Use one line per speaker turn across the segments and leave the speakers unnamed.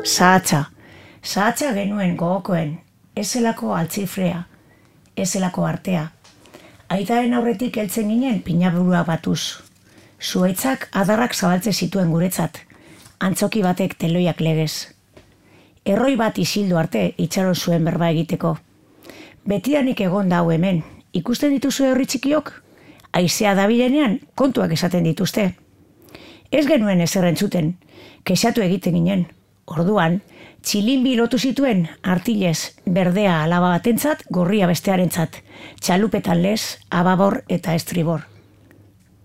Zahatza genuen gogokoen, ez zelako altzifrea, ez zelako artea. Aitaren aurretik heltzen ginen pinaburua batuz. Zuaitzak adarrak zabaltze zituen guretzat, antzoki batek teloiak legez. Erroi bat isildu arte itxaron zuen berba egiteko. Betidanik egon da hau hemen, ikusten dituzu herri txikiok? Haizea dabilenean kontuak esaten dituzte. Ez genuen ezer entzuten, kexatu egiten ginen. Orduan, txilinbi lotu zituen artilez berdea alaba batentzat, gorria bestearentzat, txalupetan lez, ababor eta estribor.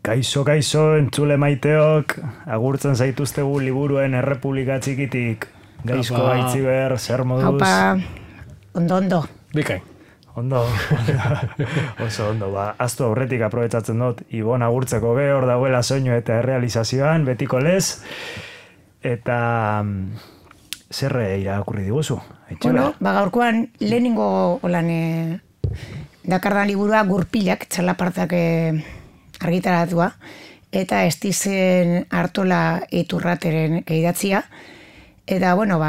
Kaixo, entzule maiteok, agurtzen zaituztegu liburuen Errepublika Txikitik. Gaizko Aitziber, zer moduz?
Haupa, ondo.
Bikain.
Ondo, oso ondo, aztu aurretik aprobetsatzen dut, Ibon agurtzeko hor dauela soinu eta errealizazioan, betiko lez, eta zer irakurri diguzu?
Bueno, gaurkoan lehenengo dakardan liburua Gurpilak, txalapartak argitaratua, eta Estizen Artola Iturrateren idatzia, eta, bueno,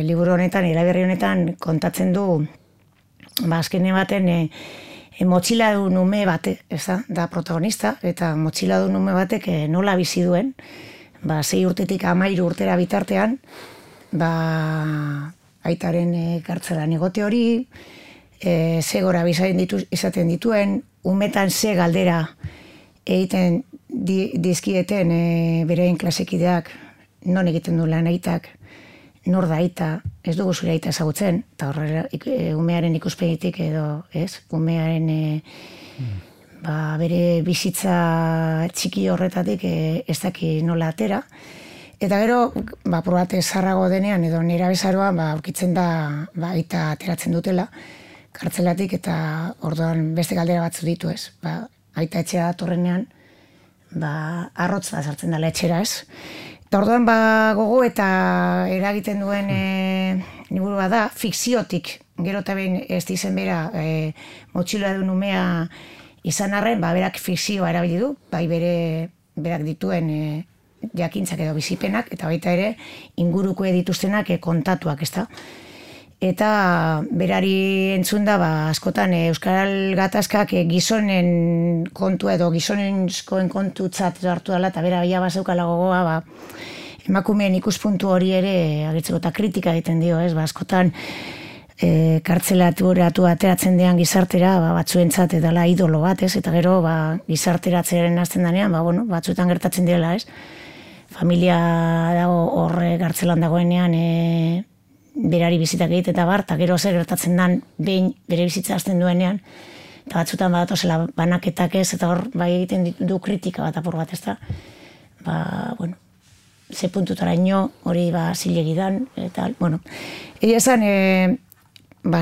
liburu honetan, iraberri honetan kontatzen du, azkene baten motxiladun ume bate, da protagonista, eta motxiladun ume batek nola bizi duen, 6 urtetik 13 urtera bitartean, aitaren kartzelan egote hori, ze gora izaten dituen, umetan ze galdera egiten dizkieten berein klasekideak, non egiten du lan aitak, nor da aita, ez dugu zure aita ezagutzen, eta horrela umearen ikuspegitik edo, ez, umearen bere bizitza txiki horretatik ez daki nola atera. Eta gero, probate zarrago denean edo nera bezaroan, aurkitzen da aita ateratzen dutela, kartzelatik, eta orduan beste galdera batzu ditu, ez. Aita etxea torrenean, arrotz da sartzen dela etxera, ez. Eta orduan gogo eta eragiten duen liburua da, fikziotik, gero eta behin ez dizen bera motxiladun umea izan arren, berak fikzioa erabili du, berak dituen jakintzak edo bizipenak, eta baita ere inguruko dituztenak kontatuak, ez da. Eta berari entzun da, askotan Euskal Gatazkak gizonen kontua edo gizonenskoen kontutzat hartu dela, eta bera bila bazeukala gogoa, emakumeen ikuspuntu hori ere agertzeko eta kritika egiten dio, ez, askotan kartzelatu ateratzen dean gizartera, batzuentzat edala idolo bat, ez, eta gero gizarteratzearen hasten danean, batzuetan gertatzen direla, ez, familia dago horre kartzelan dagoenean, berari bizitak egite eta eta gero zer gertatzen dan behin bere bizitza hasten duenean, eta batzutan badatozela banaketak ez, eta hor egiten du kritika bat apur bat, ez da. Ze puntutara ino hori zilegi dan, eta, egia esan,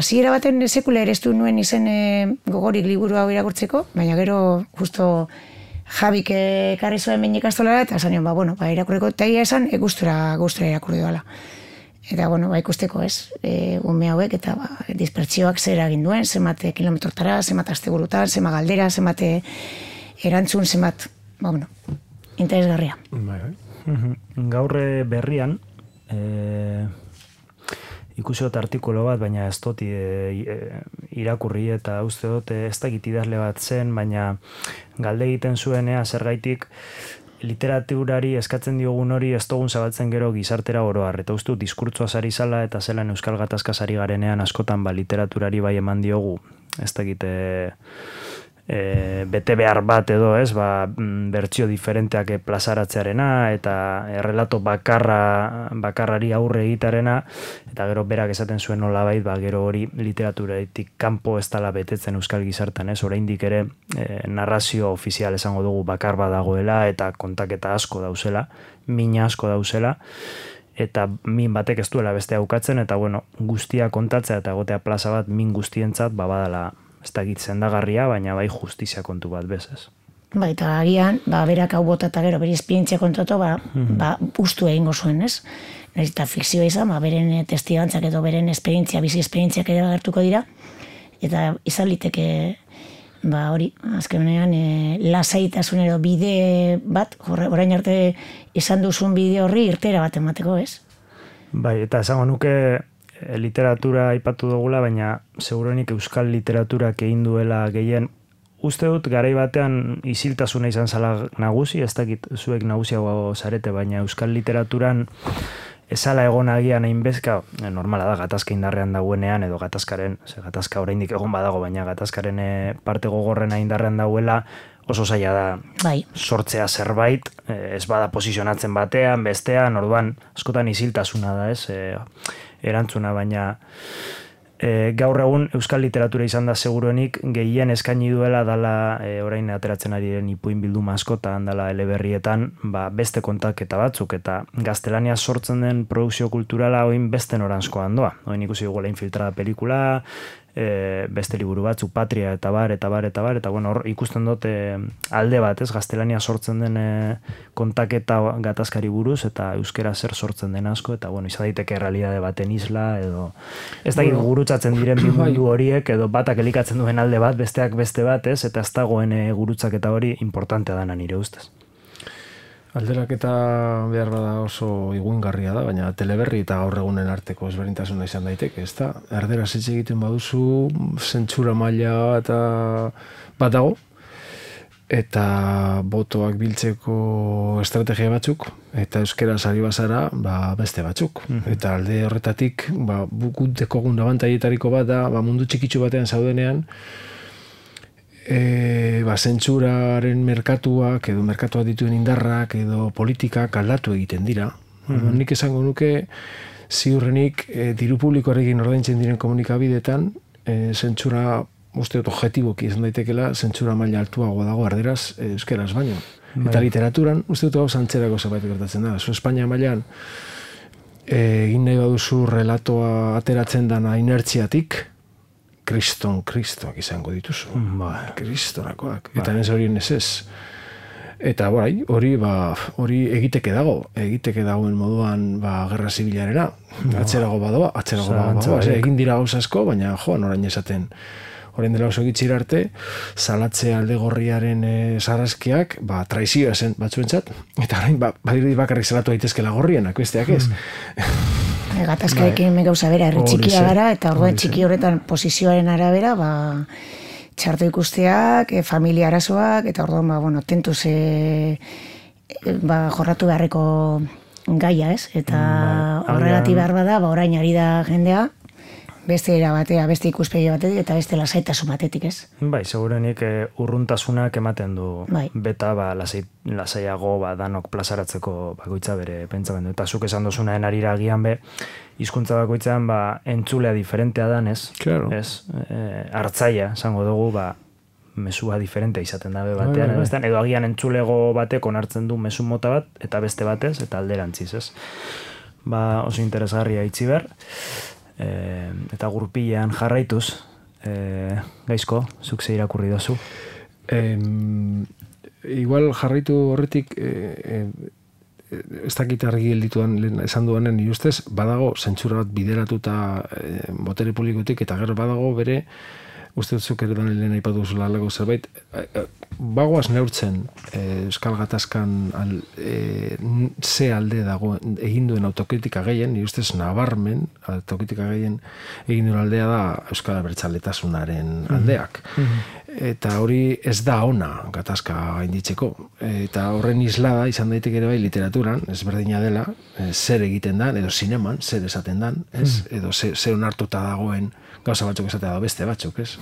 ziera baten sekula ere ez du nuen izen gogorik liburu hau irakurtzeko, baina gero justo Jabik ekarri zuen behin ikastolara, eta esan nion, irakurriko, eta egia esan gustura irakurri doala. Eta, ikusteko ez, ume hauek eta dispertsioak zer egin duen, zemate kilometrotara, zemate asteburutan, zema galdera, zemate erantzun, zemat, interesgarria.
Gaur berrian, ikusiot artikulo bat, baina ez dut irakurri eta uste dut ez dakit idazle bat zen, baina galde egiten zuenea zergaitik literaturari eskatzen diogun hori ez dugun zabaltzen gero gizartera oroar. Eta uste dut diskurtsoa sari zala eta zelan Euskal Gatazka sari garenean askotan literaturari bai eman diogu, ez dakit bete behar bat edo, ez, bertsio diferenteak plazaratzearena eta errelato bakarrari aurre egitarena, eta gero berak esaten zuen nolabait, gero hori literaturatik kanpo ez dela betetzen euskal gizartan, ez, oraindik ere narrazio ofizial esango dugu bakar bat dagoela eta kontaketa asko dauzela, mina asko dauzela, eta min batek ez duela beste aukatzen, eta guztia kontatzea eta egotea plaza bat min guztientzat, badala ez da egitzen dagarria, baina bai justizia kontu bat bezaz.
Eta agian, berak hau bota eta gero, bere esperientzia kontatu, ustu egingo zuen, ez? Nahiz eta fikzioa izan, beren testigantzak edo beren esperientzia, bizi esperientziak edo agertuko dira, eta izan liteke, hori, azkenean, lasaitasun edo bide bat, orain arte izan duzun bide horri irtera bat emateko, ez?
Bai, eta esango nuke literatura aipatu dugula, baina segurenik euskal literaturak egin duela gehien. Uste dut garai batean isiltasuna izan zala nagusi, ez dakit zuek nagusiago zarete, baina euskal literaturan esala egon agian hainbezka, normala da, gatazka indarrean dagoenean, edo gatazka oraindik egon badago, baina gatazkaren parte gogorrena indarrean dagoela, oso zaila da sortzea zerbait, ez bada posizionatzen batean, bestean, orduan, askotan isiltasuna da, ez, erantzuna, baina gaur egun euskal literatura izan da seguruenik gehien eskaini duela dala orain ateratzen ari den ipuin bilduma askotan dala eleberrietan beste kontaketa batzuk eta gaztelania sortzen den produkzio kulturala oin beste noranzkoan doa. Oin ikusi dugu Infiltrada pelikula, beste liburu batzuk, Patria eta bar, eta bueno, hor ikusten dut alde bat, ez, gaztelania sortzen den kontaketa gatazkari buruz, eta euskera zer sortzen den asko, eta bueno, izan daiteke realidade baten isla, edo ez dakit gurutzatzen diren bi mundu horiek, edo batak elikatzen duen alde bat, besteak beste bat, ez, eta ez dagoen gurutzaketa hori importantea dana nire ustez.
Alderaketa behar bada oso iguingarria da, baina teleberri eta gaur egunen arteko ezberdintasuna izan daiteke, ez da? Erderaz hitz egiten baduzu, zentsura maila eta bat dago, eta botoak biltzeko estrategia batzuk, eta euskera sari bazara beste batzuk. Eta alde horretatik, guk dekogun abantaietariko bat da, mundu txikitsu batean zaudenean, zentsuraren merkatuak edo merkatuak dituen indarrak edo politikak aldatu egiten dira. Nik esango nuke ziurrenik diru publikoarekin ordaintzen diren komunikabideetan zentsura uste dut objektiboki izan daitekela zentsura maila altuago dago erderaz euskeraz baino. Eta literaturan uste dut gauza antzerako zerbait gertatzen da. Zu Espainia mailan egin nahi baduzu relatoa ateratzen dana inertziatik, kristoak izango dituzu. Kristorakoak. Eta nez horien ez. Eta hori egiteke dagoen moduan gerra zibilarena. Atzerago badoa. Egin dira gauza asko, baina orain esaten. Orain dela oso gitxira arte, salatze alde gorriaren sarraskiak, traizioa zen batzuentzat, eta orain bakarrik salatu daitezkela gorrienak, besteak ez.
Gatazkarekin gauza bera, herri txikia gara, eta orduan txiki horretan posizioaren arabera, txarto ikusteak, familia arazoak, eta orduan, tentuz jorratu beharreko gaia, ez? Eta horregatik behar bada, orain ari da jendea, beste era batea, beste ikuspegi batetik, eta beste lasaitasun batetik, ez?
Bai, segurenik urruntasunak ematen du beta, lasaiago danok plazaratzeko bakoitza bere pentsamendu. Eta zuk esan dozunaen arira agian hizkuntza bakoitzean entzulea diferentea danez, ez? Hartzaia, esango dugu, mesua diferentea izaten dabe batean, edo agian entzulego batek onartzen du mesu mota bat, eta beste batez, eta alderantziz, ez? Oso interesgarria itzi behar. Eta gurpilean jarraituz, Gaizko, zuk ze irakurri dozu?
Igual jarraitu horretik ez dakit argi geldituan esan duanen nire ustez, badago zentsura bat bideratuta botere publikotik, eta gero badago bere uste dutzuk ere dan lehen aipatu zula alako zerbait, bagoaz neurtzen Euskal Gatazkan ze alde dago egin duen autokritika gehien, nire ustez nabarmen autokritika gehien egin duen aldea da Euskal Abertzaletasunaren aldeak. Eta hori ez da ona gatazka gainditzeko. Eta horren islada izan daiteke ere bai literaturan, ezberdina dela, zer egiten dan, edo zineman, zer esaten dan, edo zer onartuta dagoen gauza batzuk esatea da beste batzuk, ez?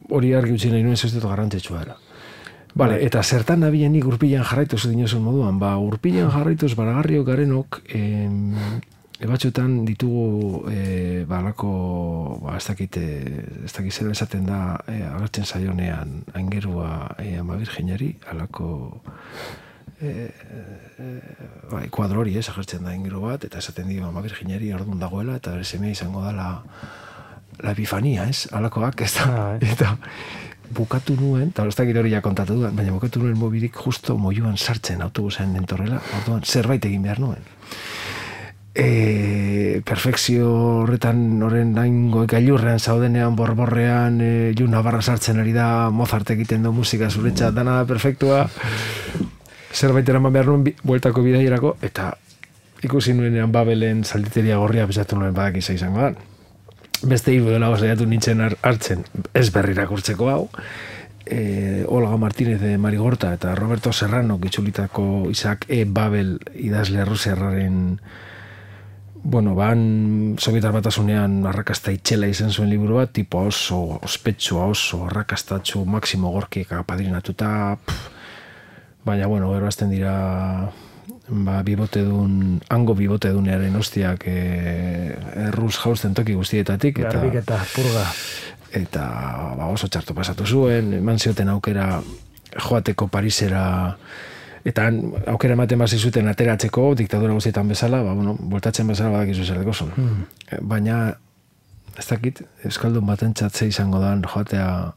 Hori argi utzi nahi nuen ez dut garrantzitsua dela. Eta zertan nabilenik urpilean jarraituz dinozun moduan, urpilean jarraituz baragarriok garenok batzuetan ditugu balako ez dakit zera esaten da agertzen zaionean aingerua Ama Virginari, alako kuadro hori agertzen da aingeru bat, eta esaten dio Ama Virginari orduan dagoela, eta bere semea izango da la epifania, ez? Alakoak, ez da. Eta bukatu nuen, eta ez dakit hori ja kontatu duan, baina bukatu nuen mobilik justo moioan sartzen autobusen entorrela, orduan zerbait egin behar nuen. Perfekzio horretan horren gailurrean zaudenean, borborrean, Navarra sartzen ari da, Mozart egiten du musika zuretzat, dana perfektua, zerbait eraman behar nuen bueltako bidaierako, eta ikusi nuenean Babelen zalditeria gorria bezatu nuen badakiza izango da. Beste hiru dela saiatu nintzen hartzen, ez berri irakurtzeko hau, Olga Martínez de Marigorta eta Roberto Serrano gitzulitako Isaac E. Babel idazle rusiarraren ban Sobietar Batasunean arrakasta itxela izan zuen liburu bat, tipo oso ospetsua, oso arrakastatxu, Maximo Gorkiek apadrinatuta, baina, gero azten dira hango bibotedunearen ostiak erruz jausten toki guztietatik.
Garbik eta purga.
Eta oso txarto pasatu zuen, eman zioten aukera joateko Parisera, eta aukera ematen basi zuten ateratzeko, diktadura guztietan bezala, voltatzen bezala badakizu zer dekozun. Baina, ez dakit, euskaldun batentzat ze izango da joatea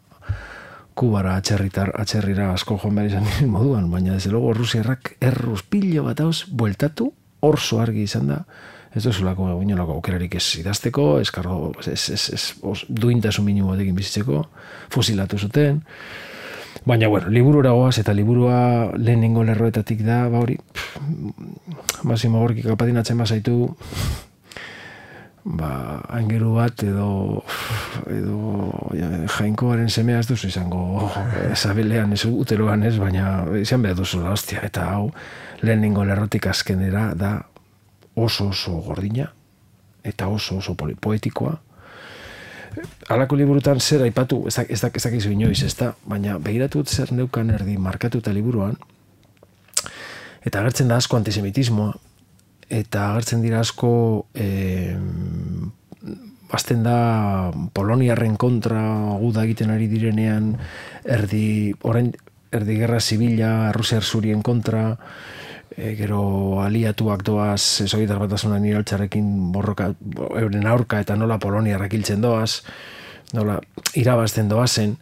Kubara atxerrira asko joan behar izan moduan, baina desde luego Rusiarrak erruz pilo bat hauz bueltatu, orso argi izan da, ez duzulako inolako aukerarik ez idazteko, duintasun minimo batekin bizitzeko, fusilatu zuten, baina, liburura goaz, eta liburua lehenengo lerroetatik da, hori, Maximo Gorkik apadinatzen bazaitu, aingeru bat edo jainkoaren semea ez duzu izango zabelean, ez uteroan ez, baina izan behar duzula, hostia, eta hau lehenengo lerrotik azkenera da oso gordina eta oso poetikoa. Halako liburutan zer aipatu, ez dakizu inoiz, ez da, baina begiratut zer neukan erdi markatuta liburuan, eta agertzen da asko antisemitismoa, eta agertzen dira asko azten da Poloniarren kontra guda egiten ari direnean erdi gerra zibila Rusiar zurien kontra, gero aliatuak doaz Sobietar Batasunan iraultzarekin borroka euren aurka eta nola Poloniarrak hiltzen doaz, nola irabazten doazen,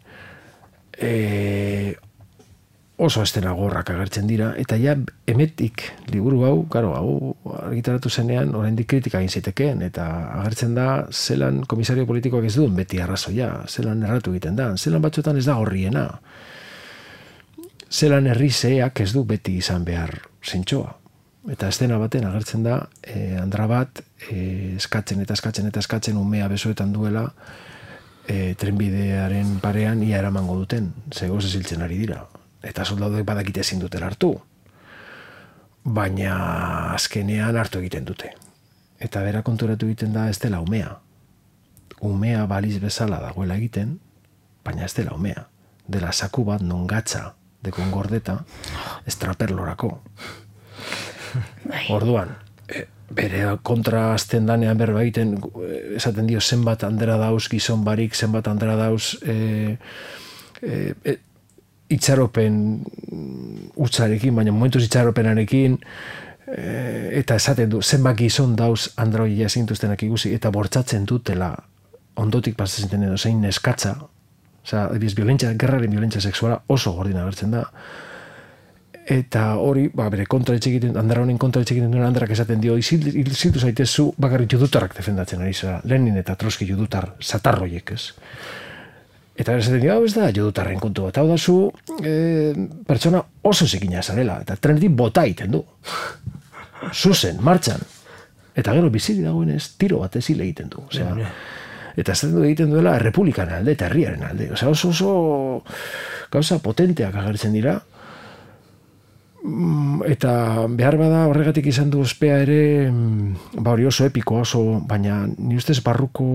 oso estena gorrak agertzen dira, eta ja emetik liburu hau argitaratu zenean oraindik kritika egin zitekeen, eta agertzen da zelan komisario politikoak ez duen beti arrazoia, zelan erratu egiten da, zelan batzuetan ez da gorriena, zelan herrizeak ez du beti izan behar zentsoa. Eta estena baten agertzen da andra bat eskatzen umea besoetan duela trenbidearen parean ia eramango duten, zegoz eziltzen ari dira. Eta soldaduek badakite ezin dutela hartu. Baina azkenean hartu egiten dute. Eta bera konturatu egiten da ez dela umea. Umea baliz bezala dagoela egiten, baina ez dela umea. Dela saku bat non gatza dekon gordeta estraperlorako. Orduan, bere kontra azten danean berba egiten, esaten dio zenbat handera dauz gizon barik, zenbat handera dauz itxaropen utzarekin, baina momentuz itxaropenarekin, eta esaten du, zenbat gizon dauz androia zintuztenak ikusi, eta bortzatzen dutela ondotik pasatzen edo zein neskatza, gerraren violentzia sexuala oso gordina agertzen da, eta hori, bere kontra etxekiten, andara honen kontra etxekiten duen andarak esaten dio, iziltu zaitezu bakarrik judutarrak defendatzen ari zara, Lenin eta Trotsky judutar satarroiek, ez? Eta esaten dio, ez da, judutarren kontu bat, hau da zu, pertsona oso zikina zarela, eta trenetik bota iten du. Zuzen, martxan. Eta gero biziri dagoenez, tiro bat ezile egiten du. Eta ez du egiten duela errepublikan alde eta herriaren alde. Oso gauza potenteak agertzen dira. Eta behar bada horregatik izan du ospea ere, hori oso epiko, baina ni ustez barruko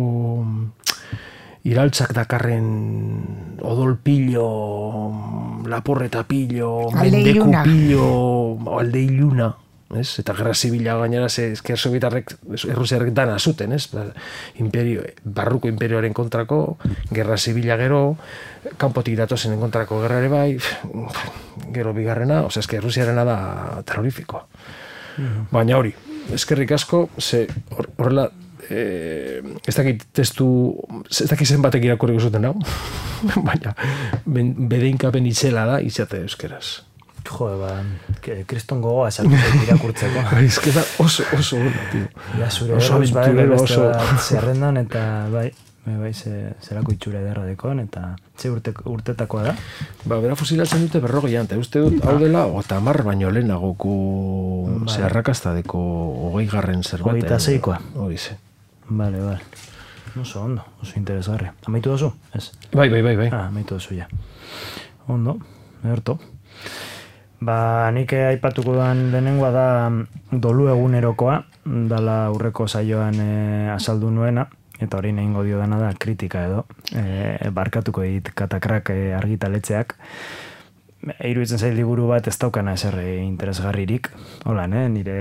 iraltzak dakarren odol pillo, laporreta pillo, mendeku pillo, alde iluna, ez? Eta gerra zibila gainera esker sobietarrek errusiarrek dana zuten, ez? Barruko imperioaren kontrako, gerra zibila gero, kanpotik datozen kontrako gerra ere bai, gero bigarrena, esker errusiarena da terrorifikoa. Baina hori, eskerrik asko, horrela, ez dakit zenbatek irakurriko zuten hau, baina bedeinkapen itzela da izate euskeraz.
Kriston gogoa esatzen irakurtzeko.
Ez da oso tío.
Ja, zure erroz badek beste zerrendan, eta bai, zerako itxura ederra dekon, eta ze urtetakoa da?
Bera fusilatzen dute 40, eta uste dut hau dela, eta 10 baino lehenagoko Ze arrakastadeko 20. zerbait.
26koa.
Hori ze.
Bale. Oso ondo, oso interesgarri. Amaitu dozu? Ez?
Bai.
Amaitu dozu, ja. Ondo, erto. Nik aipatuko duan lehenengoa da dolu egunerokoa, dala aurreko saioan azaldu nuena, eta hori nehingo dio dana da kritika edo, barkatuko dit Katakrak argitaletxeak. Iruditzen zait liburu bat ez daukana ezer interesgarririk. Hola, nire...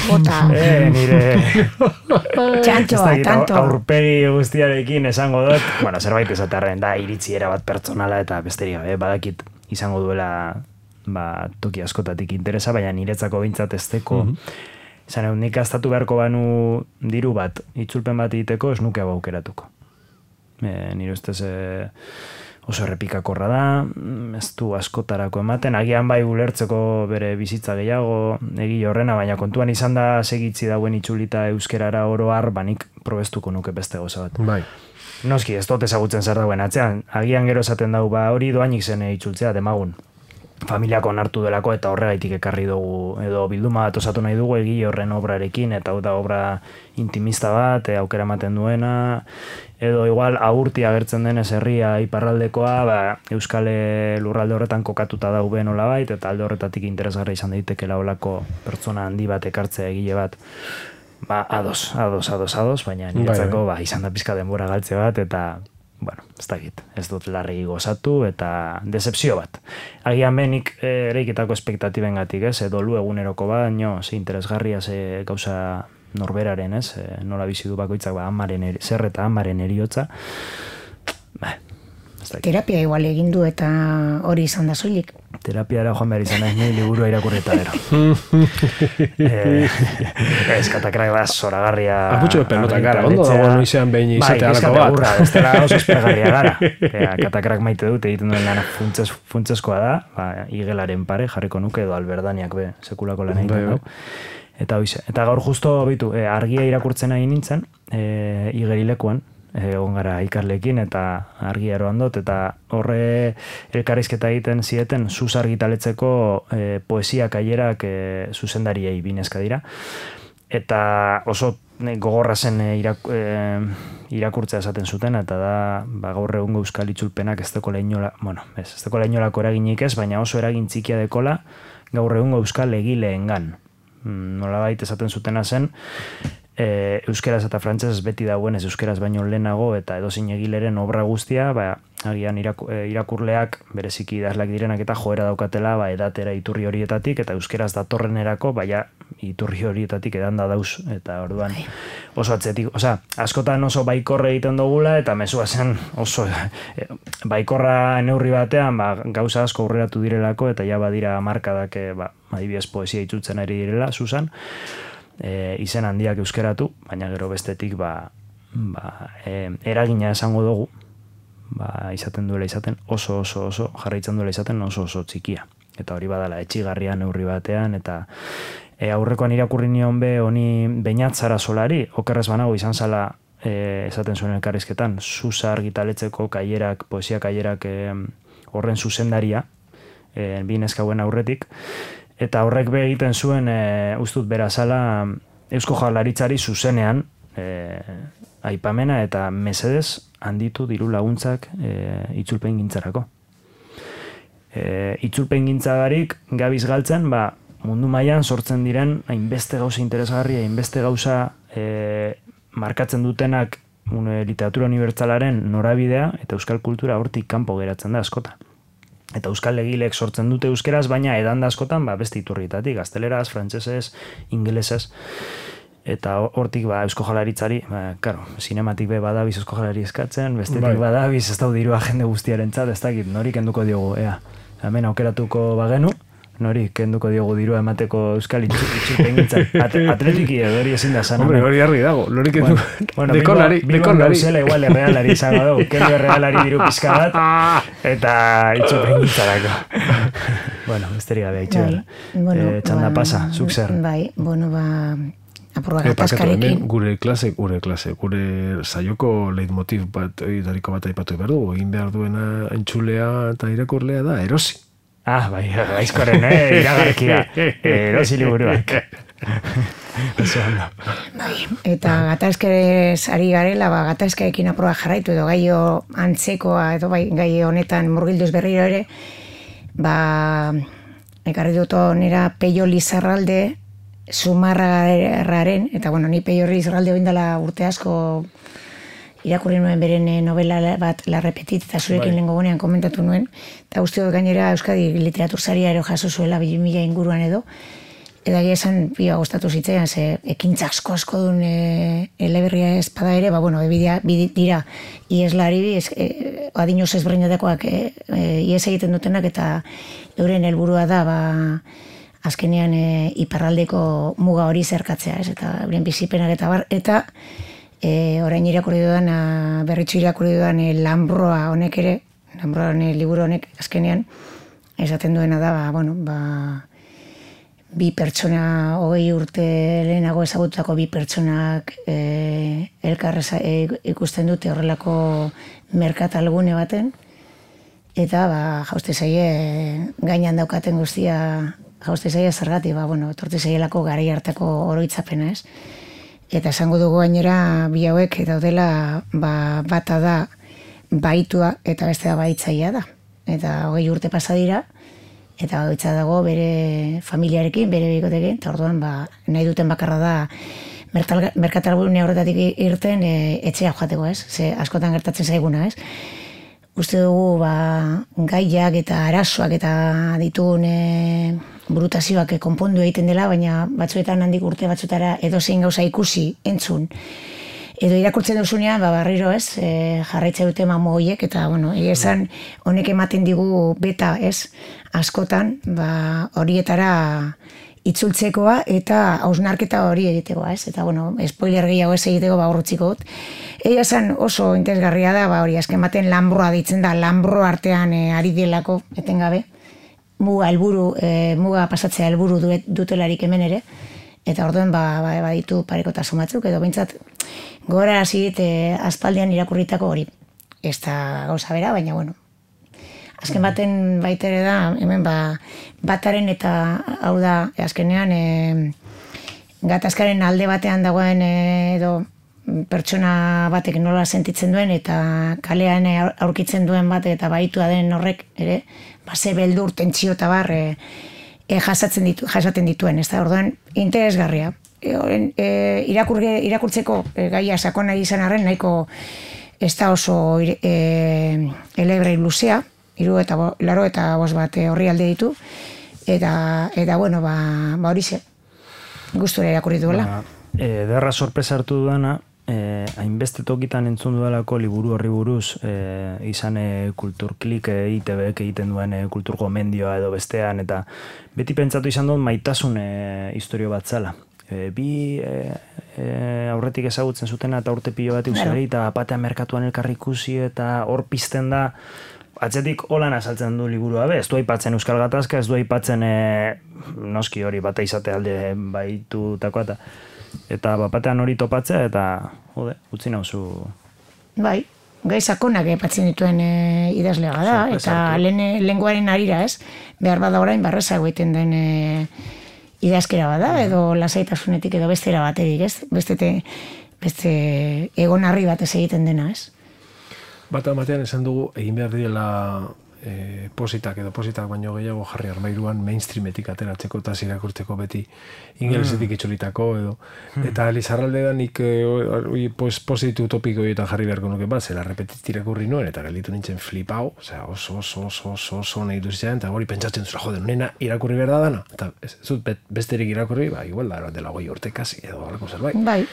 Bota.
Nire...
Txantxoa, tanto.
Aurpegi guztiarekin esango dut. Bueno, zerbait esatarren da iritziera bat pertsonala eta besterik gabe. Badakit izango duela toki askotatik interesa, baina niretzako bintzat esteko. Zan egun nik aztatu beharko banu diru bat, itzulpen bat egiteko, ez nuke aukeratuko. Nire ustez... oso errepikakorra da, ez du askotarako ematen, agian bai ulertzeko bere bizitza gehiago egi horrena, baina kontuan izan da segitzi dauen itzulita euskerara oro har, banik probestuko nuke beste goza bat.
Bai.
Noski, ez dut ezagutzen zer dauen atzean, agian gero esaten dau, hori doainik zen itzultzea, demagun. Familiako onartu delako eta horregaitik ekarri dugu, edo bilduma bat osatu nahi dugu egi horren obrarekin, eta hau da obra intimista bat, aukera ematen duena, edo igual aurti agertzen denez herria iparraldekoa, Euskal lurralde horretan kokatuta daube nolabait, eta alde horretatik interesgarra izan daitekela olako pertsona handi bat ekartzea egile bat. Ados, baina niretzako izan da pizka denbora galtze bat, eta bueno, ez dakit, ez dut larri gozatu eta decepzio bat. Agian benik ereiketako espektatibengatik, dolu eguneroko baino, interesgarria gauza norberaren, nola bizi du bakoitzak zer eta amaren eriotza.
Terapia igual egin du eta hori izan da soilik.
Terapiara joan behar izan nahi liburua irakurreta ero. Ez Katakrak da zoragarria.
Aputxo pelota gara, ondo dago noizean behin izate alako bat.
Bai, ez dela oso espergarria gara. Katakrak maite dut egiten duen lana funtsezkoa da, igelaren pare jarriko nuke edo alberdaniak sekulako lan egiten du. Eta gaur justo argia irakurtzen nahi nintzen, igerilekuan, egon gara ikarlekin eta argi eroan dut, eta horre elkarrizketa egiten zieten zuz argitaletzeko poesia kailerak zuzendariei binezka dira, eta oso gogorra zen irakurtzea esaten zuten, eta da gaur egungo euskal itzulpenak ez dekola inolako eraginik ez, baina oso eragin txikia dekola gaur egungo euskal egileengan. Nolabait esaten zutena zen, euskeraz eta frantsesez beti dauen ez euskeraz baino lehenago eta edozein egileren obra guztia, agian irakurleak bereziki idazleak direnak eta joera daukatela edatera iturri horietatik eta euskeraz datorrenerako iturri horietatik edan da dauz, eta orduan oso atzetik, askotan oso baikorra egiten dugula eta mezua zen oso baikorra neurri batean gauza asko aurreratu direlako eta ja badira markadak adibidez poesia itzutzen ari direla, Susan, izen handiak euskeratu, baina gero bestetik eragina esango dugu, izaten duela izaten oso jarraitzen duela izaten oso txikia. Eta hori badala etxigarria neurri batean, eta aurrekoan irakurri nion honi Beñatzara Solari, okerrez banago izan zala esaten zuen elkarrizketan, Zuza argitaletzeko kailerak, poesia kailerak horren zuzendaria, binezkauen aurretik, eta horrek egiten zuen, ustut berazala, Eusko Jaurlaritzari zuzenean aipamena eta mesedez handitu diru laguntzak itzulpen gintzarako. Itzulpen gintzagarik gabiz galtzen, mundu mailan sortzen diren hainbeste gauza interesgarria, hainbeste gauza markatzen dutenak literatura unibertsalaren norabidea eta euskal kultura hortik kanpo geratzen da askota. Eta euskal egilek sortzen dute euskeraz, baina edan da askotan beste iturrietatik, gazteleraz, frantsesez, ingelesez, eta hortik Eusko Jaurlaritzari, sinematik badabiz Eusko Jaurlari eskatzen, bestetik badabiz ez dau dirua jende guztiarentzat, ez dakit, nori kenduko diogu, hemen aukeratuko bagenu, nori kenduko diogu dirua emateko euskal itzulpen gintzan. Atletiki edo hori ezin da zan.
Hombre, hori argi dago, nori kendu.
Dekolari. Gauzela igual errealari izango dugu, kendu errealari diru pizka bat, eta itzulpen gintzarako. Bueno, besterik gabe itxera. Txanda pasa, zuk zer.
Apurra gatazkarekin.
Gure saioko leitmotiv bat, dariko bat aipatu behar dugu, egin behar duena entzulea eta irakurlea da, erosi.
Bai, gaizkoren, iragarkia, erosi liburuak.
Bai, eta gatazkerez ari garela, gatazkarekin aproba jarraitu edo gaio antzekoa edo bai gai honetan murgilduz berriro ere, ekarri dut nera Peio Lizarralde Zumarragaren, eta bueno, ni Peio Lizarralde oindala urte asko irakurri nuen beren novela bat La Repetit, eta zurekin lehengo gunean komentatu nuen, eta uste dut gainera Euskadi Literatursaria ero jaso zuela 2000 inguruan edo, eta gira esan pioa gustatu zitzaian, ze ekintza asko duen eleberria espada ere, bueno, dira ieslari, adinoz ezberdinetakoak ies egiten dutenak, eta euren helburua da, azkenean iparraldeko muga hori zerkatzea, eta euren bizipenak eta bar, eta orain irakurri dudan, berritxu irakurri dudan Lambroa honek ere, Lambroa liburu honek azkenean, esaten duena da, bi pertsona 20 urte lehenago ezagututako bi pertsonak elkar ikusten dute horrelako merkatalgune baten, eta jauste zaie gainan daukaten guztia, jauste zaie zergatik, etorte zaielako garai hartako oroitzapena, ez? Eta esango dugu gainera bi hauek daudela bata da baitua eta bestea baitzaia da. Eta 20 urte pasa dira, eta baitza dago bere familiarekin, bere bikotekin, eta orduan nahi duten bakarra da merkatalgune horretatik irten etxea joateko, ez? Ze askotan gertatzen zaiguna, ez? Uste dugu gaiak eta arazoak eta ditugun burutazioak konpondu egiten dela, baina batzuetan handik urte batzutara edozein gauza ikusi, entzun. Edo irakurtzen duzunean, barriro ez, jarraitza dute mamo horiek, eta esan honek ematen digu beta ez, askotan horietara itzultzekoa eta hausnarketa hori egitekoa ez, eta spoiler gehiago ez egiteko horretziko dut. Egia esan oso interesgarria da, hori azken baten Lambroa ditzen da, Lambro artean ari delako, etengabe, muga pasatzea helburu dutelarik hemen ere, eta orduen baditu parekotasun batzuk, edo bintzat gora hasi dit aspaldian irakurritako hori. Ez da gauza bera, baina azken baten baitere da, hemen bataren eta hau da, azkenean gatazkaren alde batean dagoen edo pertsona batek nola sentitzen duen eta kalean aurkitzen duen bate eta baitua den horrek ere, ze beldur, tentsio eta bar jasaten dituen, ez da, orduan interesgarria. Irakurtzeko gaia sakona izan arren, nahiko ez da oso elebrei luzea, 85 bat horri alde ditu, eta horixe, gustura irakurri duela.
Derra sorpresa hartu dudana, hainbeste tokitan entzun dudalako liburu horri buruz, izan kulturklik ITBek egiten duen kultur gomendioa edo bestean, eta beti pentsatu izan dut maitasun historio bat zala. Bi aurretik ezagutzen zutena eta urte pilo bat eusari, eta batean merkatuan elkarri ikusi, eta hor pizten da, atzetik holan azaltzen du liburua, ez du aipatzen Euskal Gatazka, ez du aipatzen noski hori bata izate alde baitutakoa, eta batean hori topatzea, eta utzi nauzu.
Bai, gai sakonak aipatzen dituen idazlega da, eta lenguaren arira ez, behar bada orain barreza egiten den idazkera bada, edo lasaitasunetik edo bestera baterik, ez? Beste egonarri batez egiten dena, ez?
Bata batean esan dugu, egin behar direla positak baino gehiago jarri armairuan mainstreametik ateratzeko eta irakurtzeko beti ingelesetik itxolitako edo. Eta Lizarralde da nik positu utopiko eta jarri beharko nuke bat, zela repetit irakurri nuen eta gelditu nintzen flipau, oso nahi duzitzen, eta hori pentsatzen zula, jode, nena irakurri behar da dana, eta zut besterik irakurri, igual da dela 20 urte kasi edo alako zerbait.
Bai.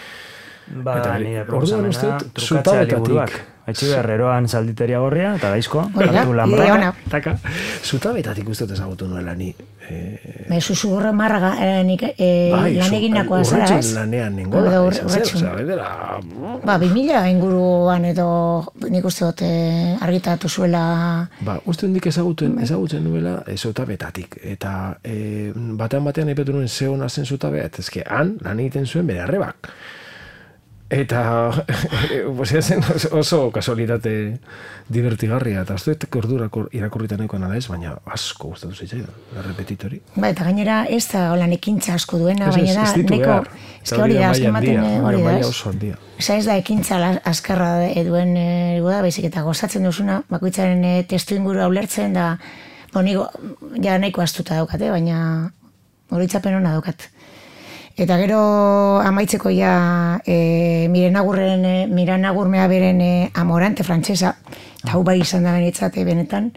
Nire proposamena trukatzea liburuak. Etxe berreroan zalditeria gorria, eta daizko, hartu lanbra.
Zutabetatik uste ezagutu nuela ni.
Susurro marraga lan egindakoa zara, ez?
Lanean nengola.
2000 inguruan edo nik uste dut argitatu zuela.
Uste hondik ezagutzen nuela zutabetatik. Eta batean aipetu nuen ze hona zen zutabet, ezke han lan egiten zuen bere arrebak. Eta oso kasualitate divertigarria, eta ez dut ordura irakurritan nahikoan ala ez, baina asko gustatu zitzaidan, la repetitori.
Ba, eta gainera ez da holan ekintza asko duena, baina da, neko, eske hori da, azken baten hori da, ez? Osa ez da ekintza azkarra duen da, baizik eta gozatzen duzuna, bakoitzaren testu ingurua ulertzen, da, niko, ja nahiko astuta daukate, baina horitzapen hona daukat. Eta gero amaitzeko ja Miran Agurmea beren Amorante frantsesa, eta hau bai izan da benitzate benetan,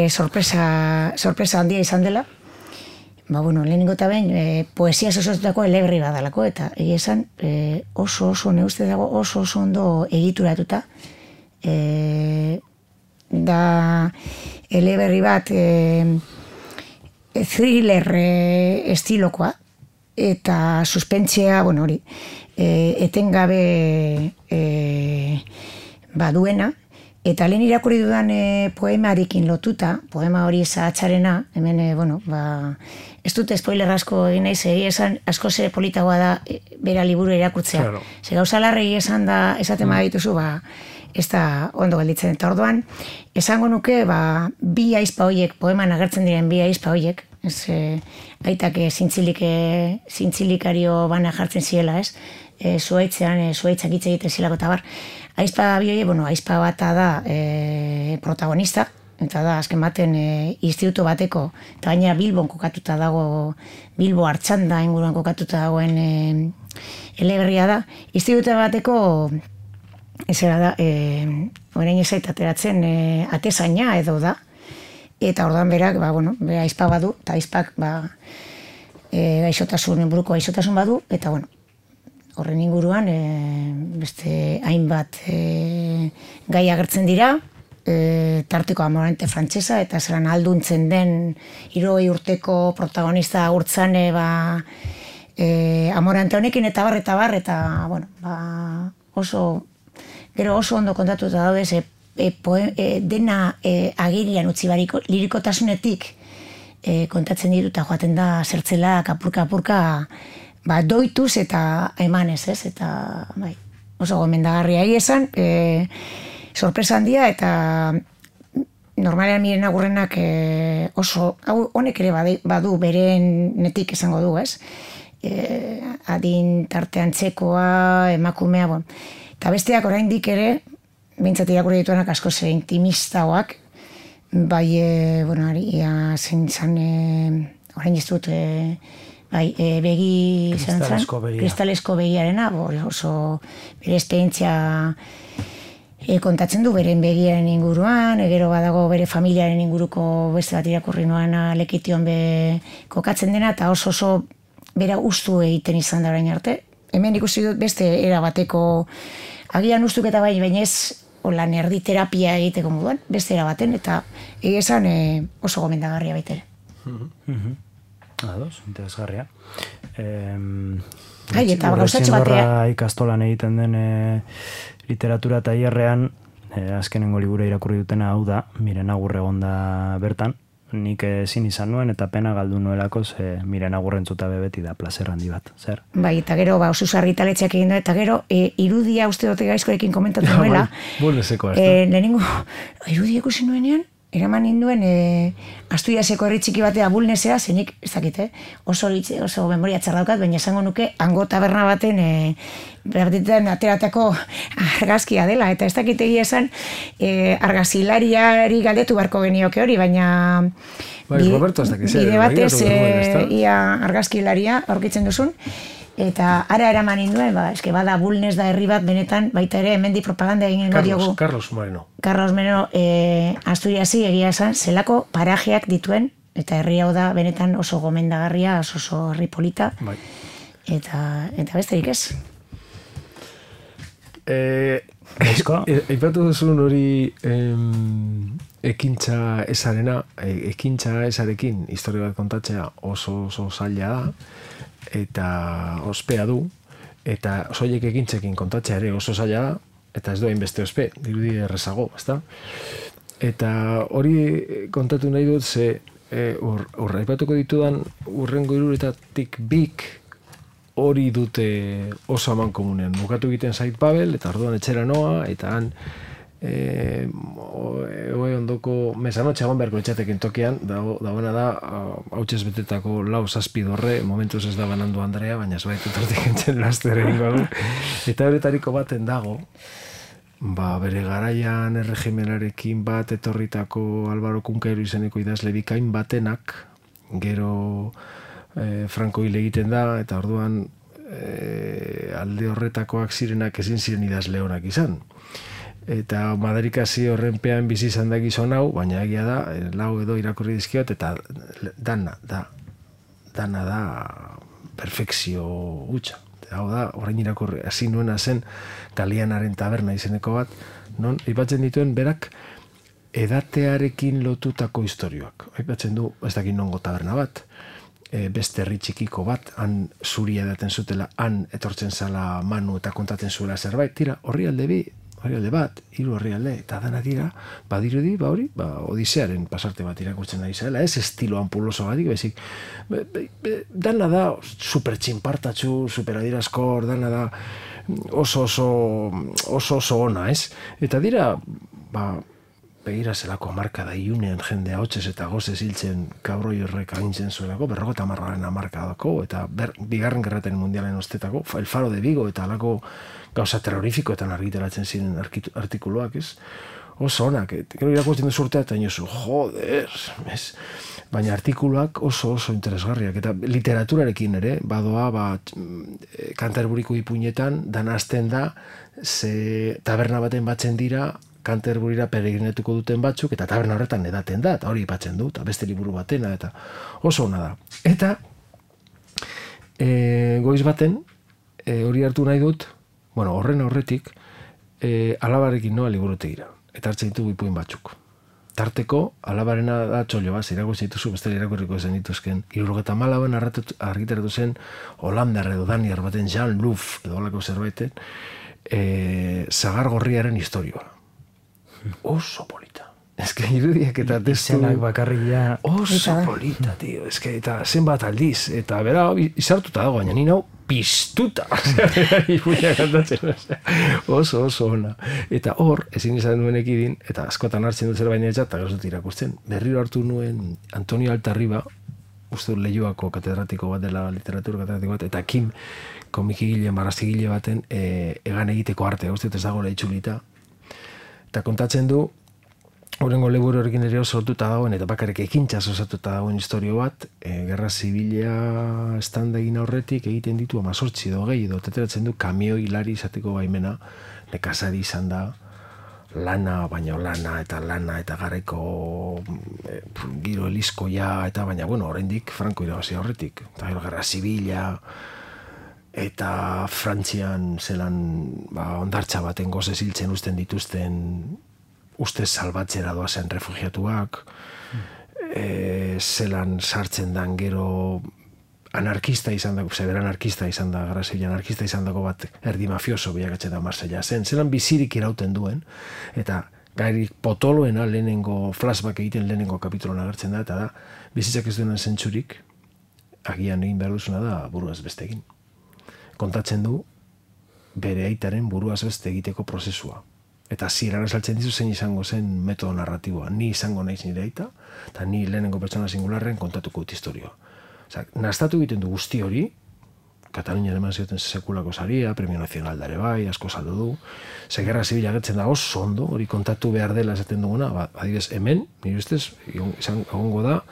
sorpresa handia izan dela. Ba, bueno, lehenengo eta behin, poesia sosotutako eleberri badalako, eta egia esan oso neuste dago oso ondo egituratuta. Da eleberri bat thriller estilokoa, eta suspentzea, bueno, hori, etengabe baduena, eta lehen irakurri dudan poemarekin lotuta, poema hori zahatxarena, hemen, bueno, ez dut spoiler asko egin naiz, esan asko zer politagoa da bera liburu irakurtzea. Claro. Ze gauza larregi esan da, esaten badituzu, ez da ondo gelditzen. Eta orduan, esango nuke, bi aizpa horiek, poeman agertzen diren bi aizpa horiek, aitak zintzilikario bana jartzen ziela, ez? Zuaitzak hitz egiten zilako eta bar. Aizpa bioie, aizpa bata da protagonista, eta da, azken baten instituto bateko, eta baina Bilbon kokatuta dago, Bilbo Artxanda inguruan kokatuta dagoen eleberria da. Instituto bateko, ezera da, orain ezait ateratzen, atezaina edo da, eta orduan berak, bera aizpa badu, eta aizpak buruko gaixotasun badu, eta horren inguruan beste hainbat gai agertzen dira, tarteko Amorante frantsesa, eta zeran alduntzen den 60 urteko protagonista agurtzane Amorante honekin, eta gero oso ondo kontatuta daude, dena agirian utzi bariko, lirikotasunetik kontatzen dituta joaten da zertzela, apurka, doituz eta emanez, ez? Eta, oso gomendagarria esan, sorpresa handia, eta normalean Miren Agurrenak oso, honek ere badu berenetik esango du, ez? Adin tartean txekoa, emakumea, eta besteak oraindik ere, bintzat irakurri dituenak asko zer intimistagoak, zein zan, orain ez dut, begi, kristalesko begiarena, oso bere esperientzia kontatzen du, beren begiaren inguruan, gero badago bere familiaren inguruko beste bat irakurri noan Lekition kokatzen dena, eta oso bera ustu egiten izan da orain arte. Hemen ikusi dut beste erabateko, agian ustuketa baina ez, lan erdi terapia egiteko moduan, beste erabaten, eta esan oso gomendagarria baitere.
Ados, interesgarria.
Eta gauzatxo batea.
Ikastolan egiten den literatura tailerrean, azkenengo libura irakurri dutena hau da, Miren Agurre egonda bertan, nik ezin izan nuen eta pena galdu nuelako, Miren Agurrentzuta beti da plazer handi bat, zer?
Bai, eta gero, Osus Argitaletxeak egin da, eta gero, irudia uste dute gaizkorekin komentatu nuela.
Bulnezeko, ez da?
Lehenengo, irudia ikusi nuenean, eraman ninduen Asturiaseko herri txiki batea Bulnesea, zenik, ez dakit, oso memoria txardaukat, baina esango nuke, hango taberna baten ateratako argazkia dela, eta ez dakit egia esan argazilariari galdetu barko genioke hori, baina bide batez ia argazkilaria aurkitzen duzun, eta ara eraman ninduen, eske bada Bulnes da herri bat benetan, baita ere hemendi propaganda egin diogu.
Carlos Moreno,
Asturiasi egia esan, zelako parajeak dituen, eta herri hau da benetan oso gomendagarria, oso herri polita, eta besterik ez.
Eipatu duzun hori ekintza ezarekin historia bat kontatzea oso zaila da, eta ospea du, eta soilik ekintzekin kontatzea ere oso zaila da, eta ez doain beste ospe, dirudi errezago, ezta? Eta hori kontatu nahi dut, aipatuko ditudan urrengo 3 bik hori dute oso aman komunean. Bukatu egiten zait Babel, eta orduan etxera noa, eta han ondoko mesanotxe egon beharko etxatekin tokian, dagoena da, hautsez betetako lau zazpi dorre, momentuz ez da banandu Andrea, baina ez baitu tortik entzen lastere ingo. Eta horretariko baten dago, bere garaian erregimenarekin bat etorritako Álvaro Cunqueiro izeneko idazle bikain batenak, gero Franco hil egiten da, eta orduan alde horretakoak zirenak ezin ziren idazle onak izan. Eta madarikazio horrenpean bizi izan da gizon hau, baina egia da, lau edo irakurri dizkiot, eta dana da perfekzio hutsa. Hau da, orain irakurri, hasi nuena zen Galianaren taberna izeneko bat, non, aipatzen dituen berak edatearekin lotutako istorioak. Aipatzen du, ez dakit nongo taberna bat, beste herri txikiko bat, han zuria edaten zutela, han etortzen zala Manu eta kontaten zuela zerbait, tira, orrialde bat, hiru orrialde, eta dana dira, badirudi, Odisearen pasarte bat irakurtzen ari zela, ez estilo ampuloso gatik, bezik, dana da super txinpartatxu, super adierazkor, dana da oso ona, ez? Eta dira, begira zelako marka da iunean jendea hotxez eta gozez hiltzen kabroi horrek agintzen zuelako, 50 markadako, eta bigarren gerraten mundialen ostetako, El Faro de Vigo eta alako gauza terrorifikoetan argitaratzen ziren artikuluak, ez? Oso onak, gero irakurtzen duzu urtea eta inozu, joder, ez? Baina artikuluak oso interesgarriak, eta literaturarekin ere, badoa, Canterburyko ipuinetan, danazten da, ze taberna baten batzen dira, Canterburyra peregrinetuko duten batzuk, eta taberna horretan edaten da, eta hori ipatzen du, eta beste liburu batena, eta oso ona da. Eta, goiz baten, hori hartu nahi dut, horren aurretik, alabarekin noa liburutegira, eta hartzen ditugu ipuin batzuk. Tarteko, alabarena da txollo bat, irakurtzen dituzu, bestela irakurriko zen dituzken, 74an argitaratu zen Holandar edo Daniar baten Jean Louf, edo holako zerbaiten, Zagar Gorriaren historioa. Oso polita. Ez que irudiak eta testu...
Izenak bakarria...
Oso polita, tio. Ez que eta zenbat aldiz. Eta bera, izartuta dago, baina nina piztuta. Ipuina kantatzen. Oso ona. Eta hor, ezin izan nuen ekidin, eta askotan hartzen dut zer baina etxat, eta gauzut irakusten. Berriro hartu nuen Antonio Altarriba, uste Leioako katedratiko bat dela, literatura katedratiko bat, eta Kim komikigile, marrazigile baten egan egiteko artea, uste ez dagoela itxulita. Eta kontatzen du, horrengo liburu horrekin ere sortuta dagoen, eta bakarrik ekintxaz osatuta dagoen historio bat, Gerra Zibila estanda egin aurretik egiten ditu 18 edo gehi, edo teteratzen du kamioi hilari izateko baimena, nekazari izan da, baina lana eta garaiko giro elizkoia, eta baina, oraindik Franco irabazi aurretik. Eta Gerra Zibila, eta Frantzian zelan ondartza baten gozez hiltzen usten dituzten ustez salbatzera doazen refugiatuak, zelan sartzen dan gero anarkista izan dago, zebera anarkista izan da, Gerra Zibila anarkista izan dago bat erdi mafioso bilakatzen da Marsella zen, zelan bizirik irauten duen, eta gairik potoloena lehenengo flashback egiten lehenengo kapituloan agertzen da, eta da, bizitzak ez duenan zentzurik, agian egin behar duzuna da buruaz beste egin. Kontatzen du bere aitaren buruaz beste egiteko prozesua. Eta zieran esaltzen dizu zein izango zen metodo narratiboa. Ni izango naiz nire aita, eta ni lehenengo pertsona singularren kontatuko dut historioa. Nastatu egiten du guzti hori, Katalunian eman zioten sekulako saria, Premio Nacional dare bai, asko saldu du, ze Gerra Zibila gertzen da oso ondo, hori kontatu behar dela esaten duguna, adibidez hemen, nire ustez, egongo da,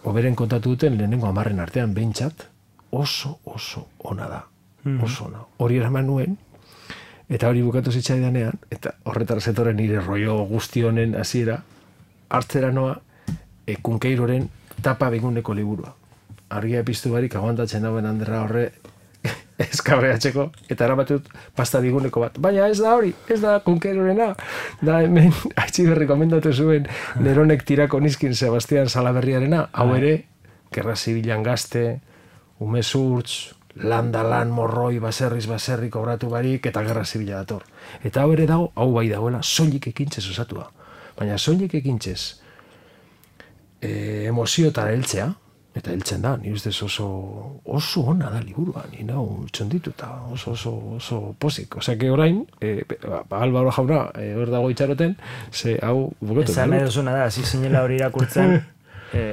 oberen kontatu duten lehenengo 10 artean behintzat, oso ona da. Oso ona. Hori eraman nuen, eta hori bukatu zitzaidanean, eta horretara zetoren nire rollo guzti honen hasiera, hartzera noa, Cunqueiroren tapa beguneko liburua. Argia epiztu barik aguantatzen dauen Anderra horre eskabreatzeko, eta eramatut pasta biguneko bat. Baina ez da hori, ez da Cunqueirorena, da hemen Aitziberri komendatu zuen Neronek tirako nizkin Sebastian Salaberriarena, hau ere, Gerra Zibilan gazte, umezurtz, lan morroi, baserri kobratu barik, eta Gerra Zibila dator. Eta hau ere dago, hau bai dagoela, soilik ekintzez osatua. Baina soilik ekintzez emozioetara heltzea, Eta heltzen da, ni ustez oso ona da liburua, ni nau txondituta, oso pozik. Osea, que orain, Álvaro jauna, hor dago itxaroten, ze hau buketu.
Esan nahi duzuna da, hasi zinela hori irakurtzen,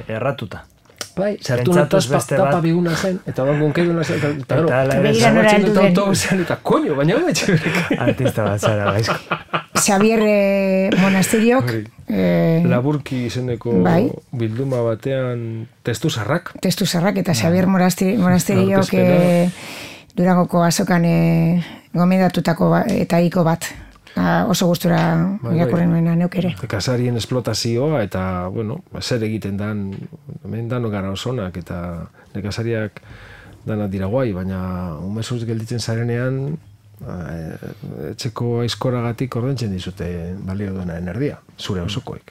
erratuta.
Bai, zertu nataz tapa biguna zen, eta bangon keduna zen, eta gero, zabatzen dut autobusean, eta koño, baina hori etxe.
Artista bat zara, gaizko.
Xavier Monasteriok
Laburki izeneko bilduma batean testu zarrak
eta Xavier Monasteriok Durangoko azokan gomendatutako eta iko bat oso gustura irakurri nuena neuk ere.
Kasarien esplotazioa eta, bueno, zer egiten dan, hemen dano gara osonak eta nekazariak dana dira guai, baina umezuz gelditzen zarenean etxeko aizkoragatik ordentzen dizute balio duenaren erdia, zure osokoek.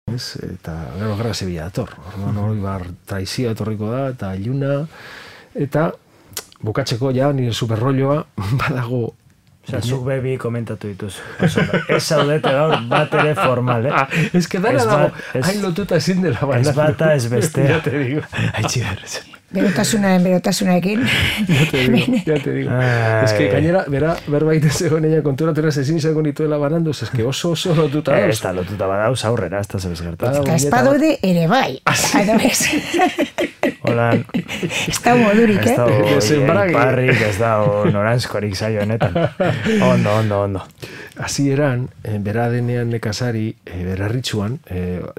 Eta gero gara zebila dator. Orduan hori traizia etorriko da, eta iluna, eta bukatzeko ja nire superrolloa badago.
Osa, zuk bebi komentatu dituz. Ez zaudete gaur bat ere formal,
Ez que dara dago, hain lotuta ezin dela baina.
Ez bata, ez bestea.
Ja te digo.
Haitxigarrez.
Berotasunarekin.
Ya te digo. Es que gainera, berbaiten zegoen ella konturatera ezin izango nituela bananduz, es que oso lotuta dauz.
Ez da lotuta badauz aurrera, ez da zebez gertatzen.
Eta espadode ere bai.
Hola.
Ez da modurik,
Ez da iparrik, ez da noranzkorik zaio honetan. Ondo.
Hasieran, bera denean nekazari, berarritxuan,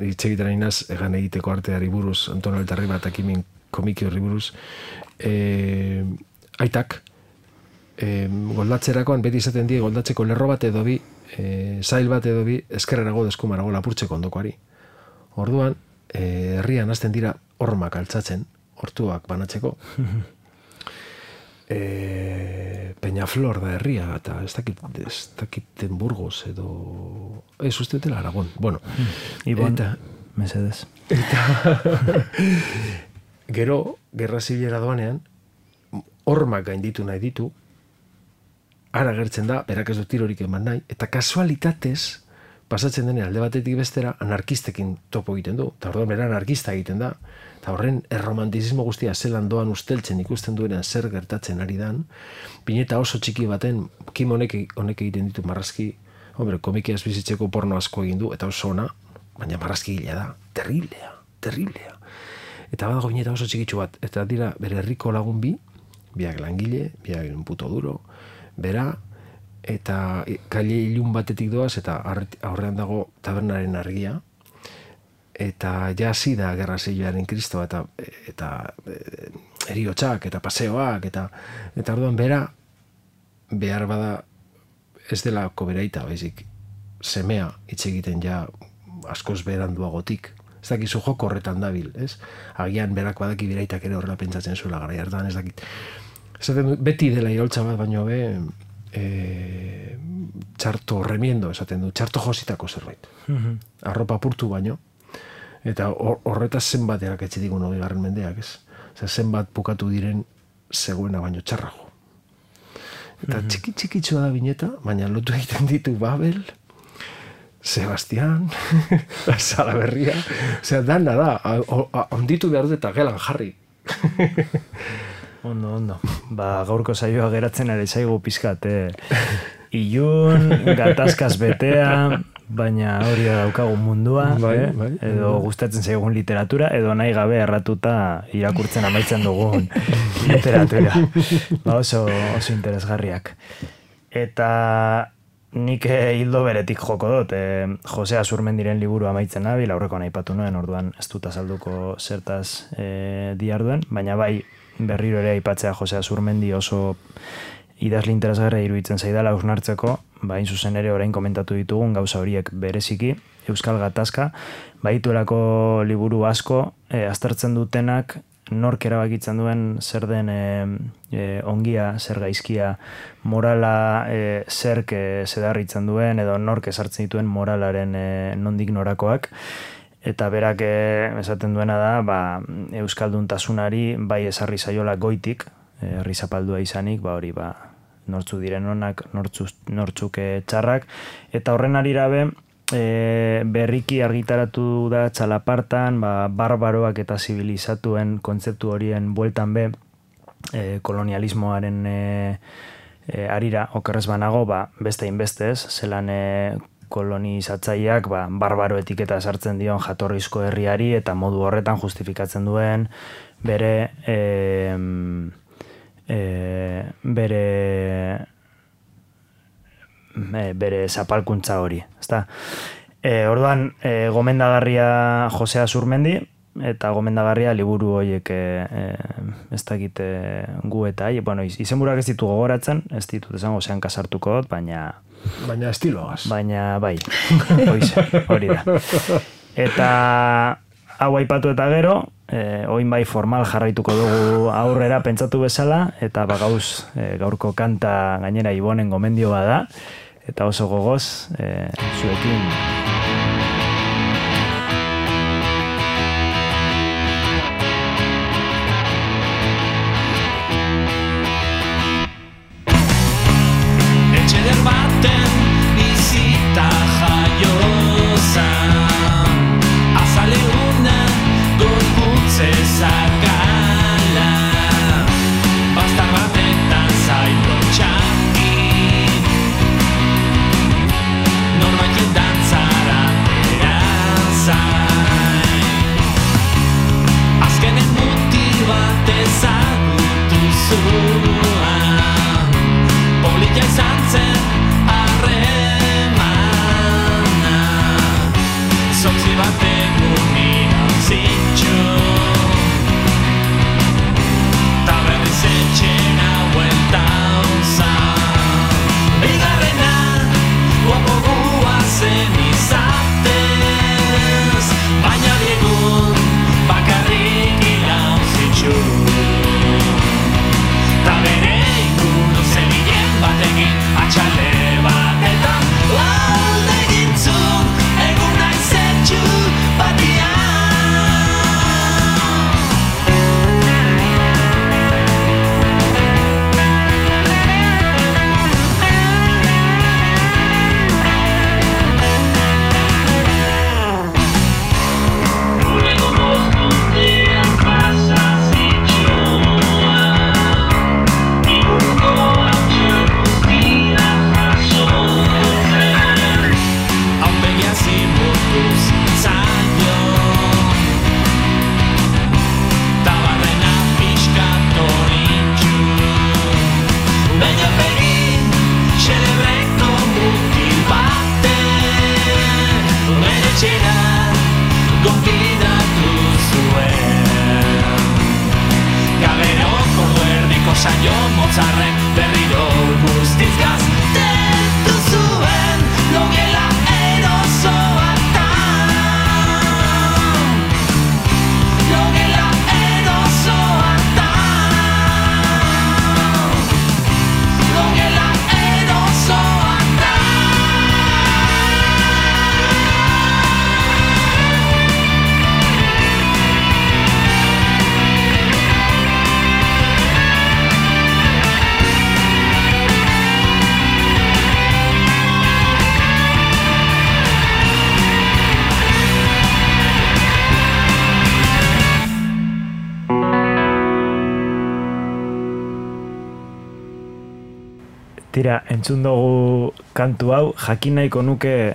itxegitara inaz, egan egiteko arteari buruz, Antonio Altarri bat akimin komiki horri buruz, aitak, goldatzerakoan, beti izaten die, goldatzeko lerro bat edo bi, zail bat edo bi, eskerrerago deskumarago lapurtzeko ondokoari. Orduan, herrian hasten dira hormak altzatzen, hortuak banatzeko. Peñaflor da herria, eta ez dakiten Burgos edo... Ez usteetela Aragón. Bueno,
Ibon, mesedez.
Eta... Gero, gerra zibilera doanean, hormak gainditu nahi ditu, ara gertzen da, berak ez du tirorik eman nahi, eta kasualitatez, pasatzen denean alde batetik bestera, anarkistekin topo egiten du, eta orduan bera anarkista egiten da, eta horren erromantizismo guztia zelan doan usteltzen ikusten duenean zer gertatzen ari dan, pineta oso txiki baten, Kim honek egiten ditu marrazki, komikiaz bizitzeko porno asko egin du, eta oso ona, baina marrazki gila da, terriblea. Eta badago bineta oso txikitsu bat, eta dira bere herriko lagun biak langile, biak un puto duro, bera, eta kaile ilun batetik doaz, eta aurrean dago tabernaren argia, eta ja hasi da gerra zibilaren kristoa, eta heriotsak, eta paseoak, eta orduan bera, behar bada ez delako beraita, baizik, semea hitz egiten ja askoz beranduagotik. Ez dakizu joko horretan dabil, ez? Agian berak badaki beraitak ere horrela pentsatzen zuela gara hartan, ez dakit. Esaten du, beti dela iraultza bat, baino txarto remiendo, esaten du, txarto jositako zerbait. Arropa purtu baino, eta horretaz zenbateak etxetik 20. mendeak, ez? Zenbat bukatu diren zegoena baino txarrago. Eta txikitsua da bineta, baina lotu egiten ditu Babel, Sebastián, Salaberria, osea, dana da, onditu behar dut eta gelan jarri.
Ondo. Gaurko saioa geratzen ere zaigu pizkat, ilun, gatazkaz betea, baina hori daukagu mundua, edo gustatzen zaigun literatura, edo nahi gabe erratuta irakurtzen amaitzen dugun literatura. Oso interesgarriak. Eta... Nik hildo beretik joko dut, Jose Azurmendiren liburu amaitzen nabil, aurrekoan aipatu nuen, orduan ez dut azalduko zertaz diarduen, baina bai berriro ere aipatzea Jose Azurmendi oso idazle interesgarria iruditzen zaidala hausnartzeko, bain zuzen ere orain komentatu ditugun gauza horiek bereziki, Euskal Gatazka, baituelako liburu asko, aztertzen dutenak, nork erabakitzen duen zer den ongia, zer gaizkia, morala zerk zedarritzen duen, edo nork ezartzen dituen moralaren nondik norakoak, eta berak esaten duena da, euskalduntasunari bai ezarri zaiola goitik, herri zapaldua izanik, hori nortzu diren onak, nortzuk txarrak, eta horren arira berriki argitaratu da txalapartan, barbaroak eta zibilizatuen kontzeptu horien bueltan be, kolonialismoaren arira okerrez banago, beste inbeste ez, zelan kolonizatzaileak barbaro etiketa sartzen dion jatorrizko herriari eta modu horretan justifikatzen duen bere zapalkuntza hori, ezta? Orduan, gomendagarria Josea Zurmendi, eta gomendagarria liburu horiek ez dakit gu eta izenburuak ez ditu gogoratzen, ez ditut esango zean kasartuko dut, baina
estiloaz.
Baina bai, hori da. Eta hau aipatu eta gero, oin bai formal jarraituko dugu aurrera pentsatu bezala, eta gauz gaurko kanta gainera Ibonen gomendio bada, eta oso gogoz zuekin. Tira, entzun dugu kantu hau, jakin nahiko nuke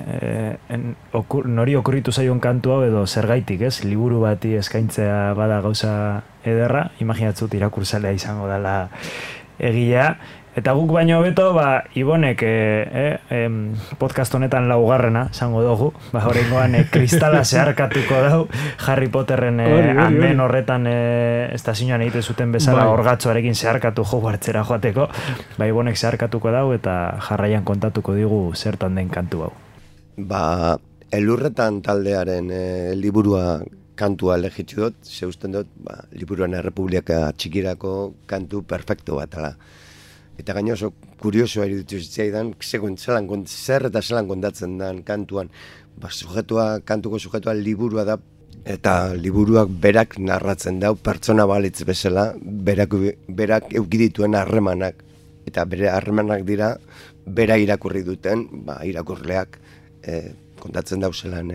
nori okurritu zaion kantu hau edo zergaitik, ez? Liburu bati eskaintzea bada gauza ederra, imaginatzut irakurtzalea izango dela egilea. Eta guk baino hobeto, Ibonek podcast honetan laugarrena, zango dugu, horrengoan kristala zeharkatuko dau, Harry Potterren anden horretan estazioan egite zuten bezala orgatzoarekin zeharkatu Hogwartsera joateko, Ibonek zeharkatuko dau eta jarraian kontatuko digu zertan den kantu hau.
Elurretan taldearen liburua kantua elegitu dut, zeusten dut, liburuan Errepublika txikirako kantu perfecto bat, eta gaino oso kuriosoa iruditu zitzaidan, zer eta zelan kontatzen den kantuan. Kantuko sujetua liburua da, eta liburuak berak narratzen dau, pertsona balitz bezala, berak eukidituen harremanak. Eta bere harremanak dira, bera irakurri duten, irakurleak kontatzen dauzelan,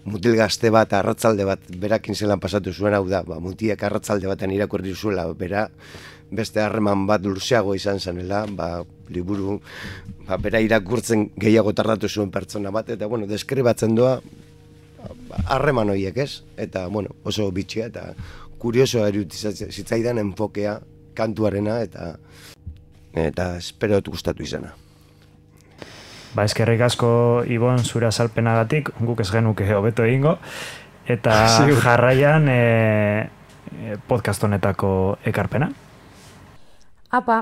mutil gazte bat, arratzalde bat, berakin zelan pasatu zuen hau da, mutiek arratzalde baten irakurri zuela, beste harreman bat luzeago izan zanela, liburu, bera irakurtzen gehiago tardatu zuen pertsona bat, eta, deskribatzen doa harreman horiek, ez? Eta, oso bitxia, eta kuriosoa zitzaidan enfokea kantuarena, eta espero gustatu izana.
Eskerrik asko, Ibon, zure azalpenagatik, guk ez genuke hobeto egingo, eta jarraian podcast honetako ekarpena.
Apa,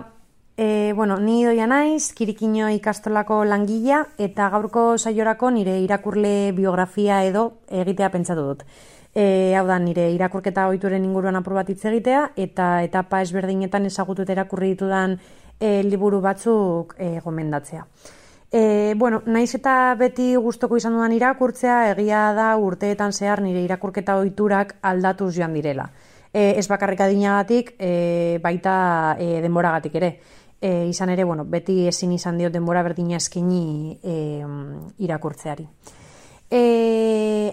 ni Idoia naiz, Kirikino ikastolako langilea, eta gaurko saiorako nire irakurle biografia edo egitea pentsatu dut. Hau da, nire irakurketa ohituren inguruan apur bat hitz egitea, eta etapa ezberdinetan ezagutu eta irakurri ditudan liburu batzuk gomendatzea. Naiz eta beti gustoko izan dudan irakurtzea, egia da urteetan zehar nire irakurketa ohiturak aldatuz joan direla. Ez bakarrik adinagatik, baita denboragatik ere. Izan ere, beti ezin izan diot denbora berdina eskaini irakurtzeari.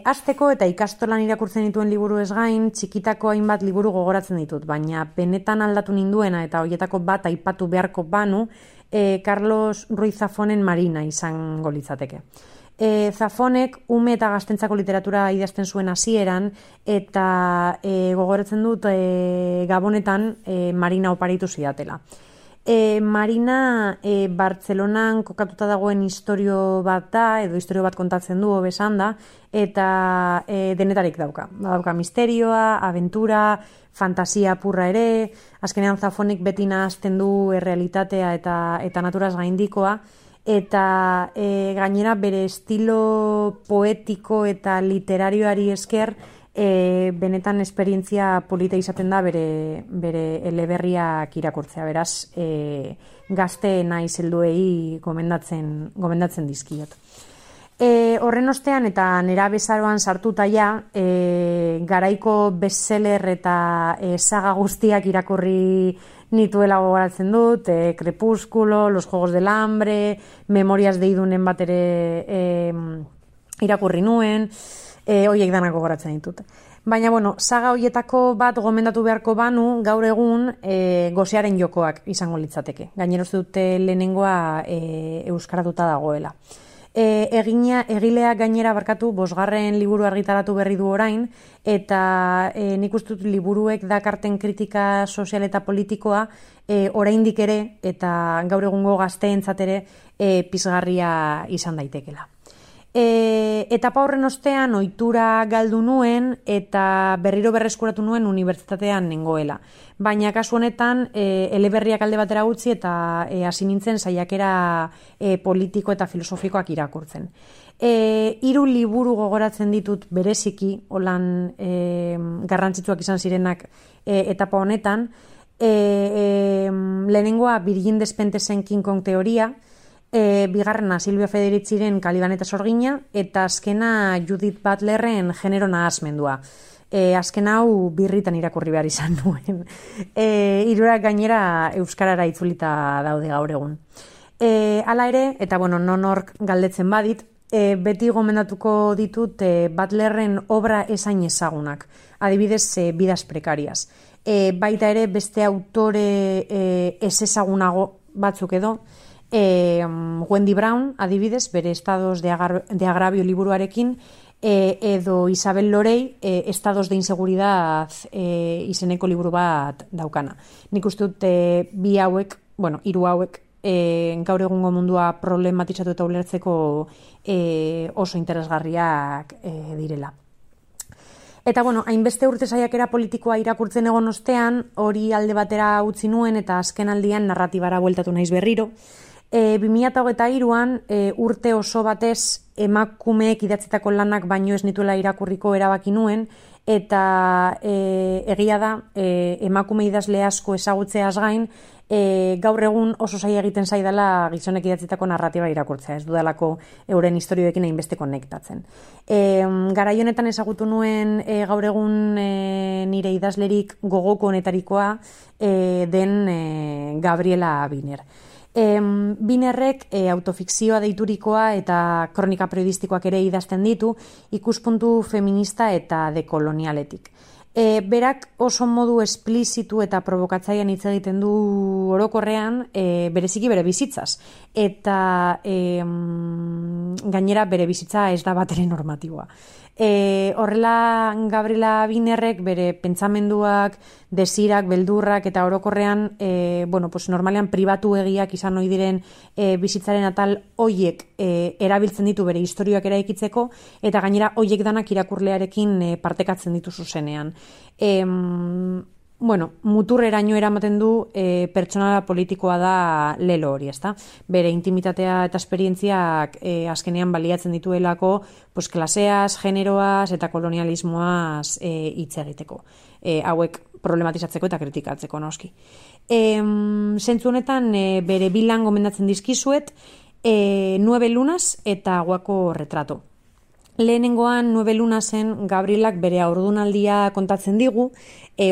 Hasteko eta ikastolan irakurtzen dituen liburu ez gain, txikitako hainbat liburu gogoratzen ditut, baina benetan aldatu ninduena eta hoietako bat aipatu beharko banu, Carlos Ruiz Zafonen Marina izango litzateke. Zafonek ume eta gaztentzako literatura idazten zuen hasieran eta gogoratzen dut Gabonetan Marina oparitu zidatela. Marina Bartzelonan kokatuta dagoen istorio bat da, edo istorio bat kontatzen du hobesan da, eta denetarik dauka. Badauka misterioa, aventura, fantasia purra ere, azkenean Zafonek beti nahazten du errealitatea eta naturaz gaindikoa, eta gainera bere estilo poetiko eta literarioari esker benetan esperientzia polita izaten da bere eleberriak irakurtzea, beraz gazte naiz helduei gomendatzen dizkiot. Horren ostean eta nera bezaroan sartuta ja, garaiko bestseller eta saga guztiak irakurri nituela gogoratzen dut, Crepúsculo, Los Juegos del Hambre, Memorias de Idunen bat ere irakurri nuen, horiek danak gogoratzen ditut. Baina, saga horietako bat gomendatu beharko banu, gaur egun Gosearen jokoak izango litzateke. Gainera uste dute lehenengoa euskaratuta dagoela. Egilea gainera barkatu 5. liburu argitaratu berri du orain, eta nik uste dut liburuek dakarten kritika sozial eta politikoa oraindik ere eta gaur egungo gazteentzat ere pizgarria izan daitekela. Etapa horren ostean ohitura galdu nuen eta berriro berreskuratu nuen unibertsitatean nengoela. Baina kasu honetan eleberriak alde batera utzi eta hasi nintzen saiakera politiko eta filosofikoak irakurtzen. 3 liburu gogoratzen ditut bereziki, holan garrantzitsuak izan zirenak etapa honetan. Lehenengoa Virgin Despentesen King Kong teoria, bigarrena Silvia Federiciren Caliban eta Sorgina, eta azkena Judith Butlerren Genero nahasmendua. Azken hau birritan irakurri behar izan nuen. Hirurak gainera euskarara itzulita daude gaur egun. Hala ere, eta nonork galdetzen badit, beti gomendatuko ditut Butlerren obra esain ezagunak. Adibidez, Vidas Precarias. Baita ere beste autore ez ezagunago batzuk edo, Wendy Brown, adibidez, bere Estados de Agravio liburuarekin, edo Isabel Lorey, Estados de Inseguridad izeneko liburu bat daukana. Nik uste dut bi hauek, hiru hauek, gaur egungo mundua problematizatu eta ulertzeko oso interesgarriak direla. Eta hainbeste urte saiakera politikoa irakurtzen egon ostean, hori alde batera utzi nuen eta azken aldian narratibara bueltatu naiz berriro. 2023an urte oso batez emakumeek idatzitako lanak baino ez nituela irakurriko erabaki nuen, eta egia da emakume idazle asko ezagutzeaz gain, gaur egun oso zaila egiten zaidala gizonek idatzitako narratiba irakurtzea, ez dudalako euren historioekin hainbeste konektatzen. Garai honetan ezagutu nuen gaur egun nire idazlerik gogoko honetarikoa den Gabriela Biner. Binerrek autofikzioa deiturikoa eta kronika periodistikoak ere idazten ditu ikuspuntu feminista eta dekolonialetik. Berak oso modu esplizitu eta provokatzailean hitz egiten du orokorrean bereziki bere bizitzaz. Eta gainera bere bizitza ez da batere normatiboa. Horrela Gabriela Binerrek bere pentsamenduak, desirak, beldurrak eta orokorrean normalean pribatu egiak izan ohi diren bizitzaren atal hoiek erabiltzen ditu bere istorioak eraikitzeko eta gainera hoiek danak irakurlearekin partekatzen ditu zuzenean. Muturreraino eramaten du pertsonala politikoa da lelo hori, ezta? Bere intimitatea eta esperientziak azkenean baliatzen dituelako klaseaz, generoaz eta kolonialismoaz hitz egiteko. Hauek problematizatzeko eta kritikatzeko noski. Zentzu honetan bere bilan gomendatzen dizkizuet 9 lunas eta Guako retrato. Lehenengoan 9 lunasen Gabrielak bere haurdunaldia kontatzen digu,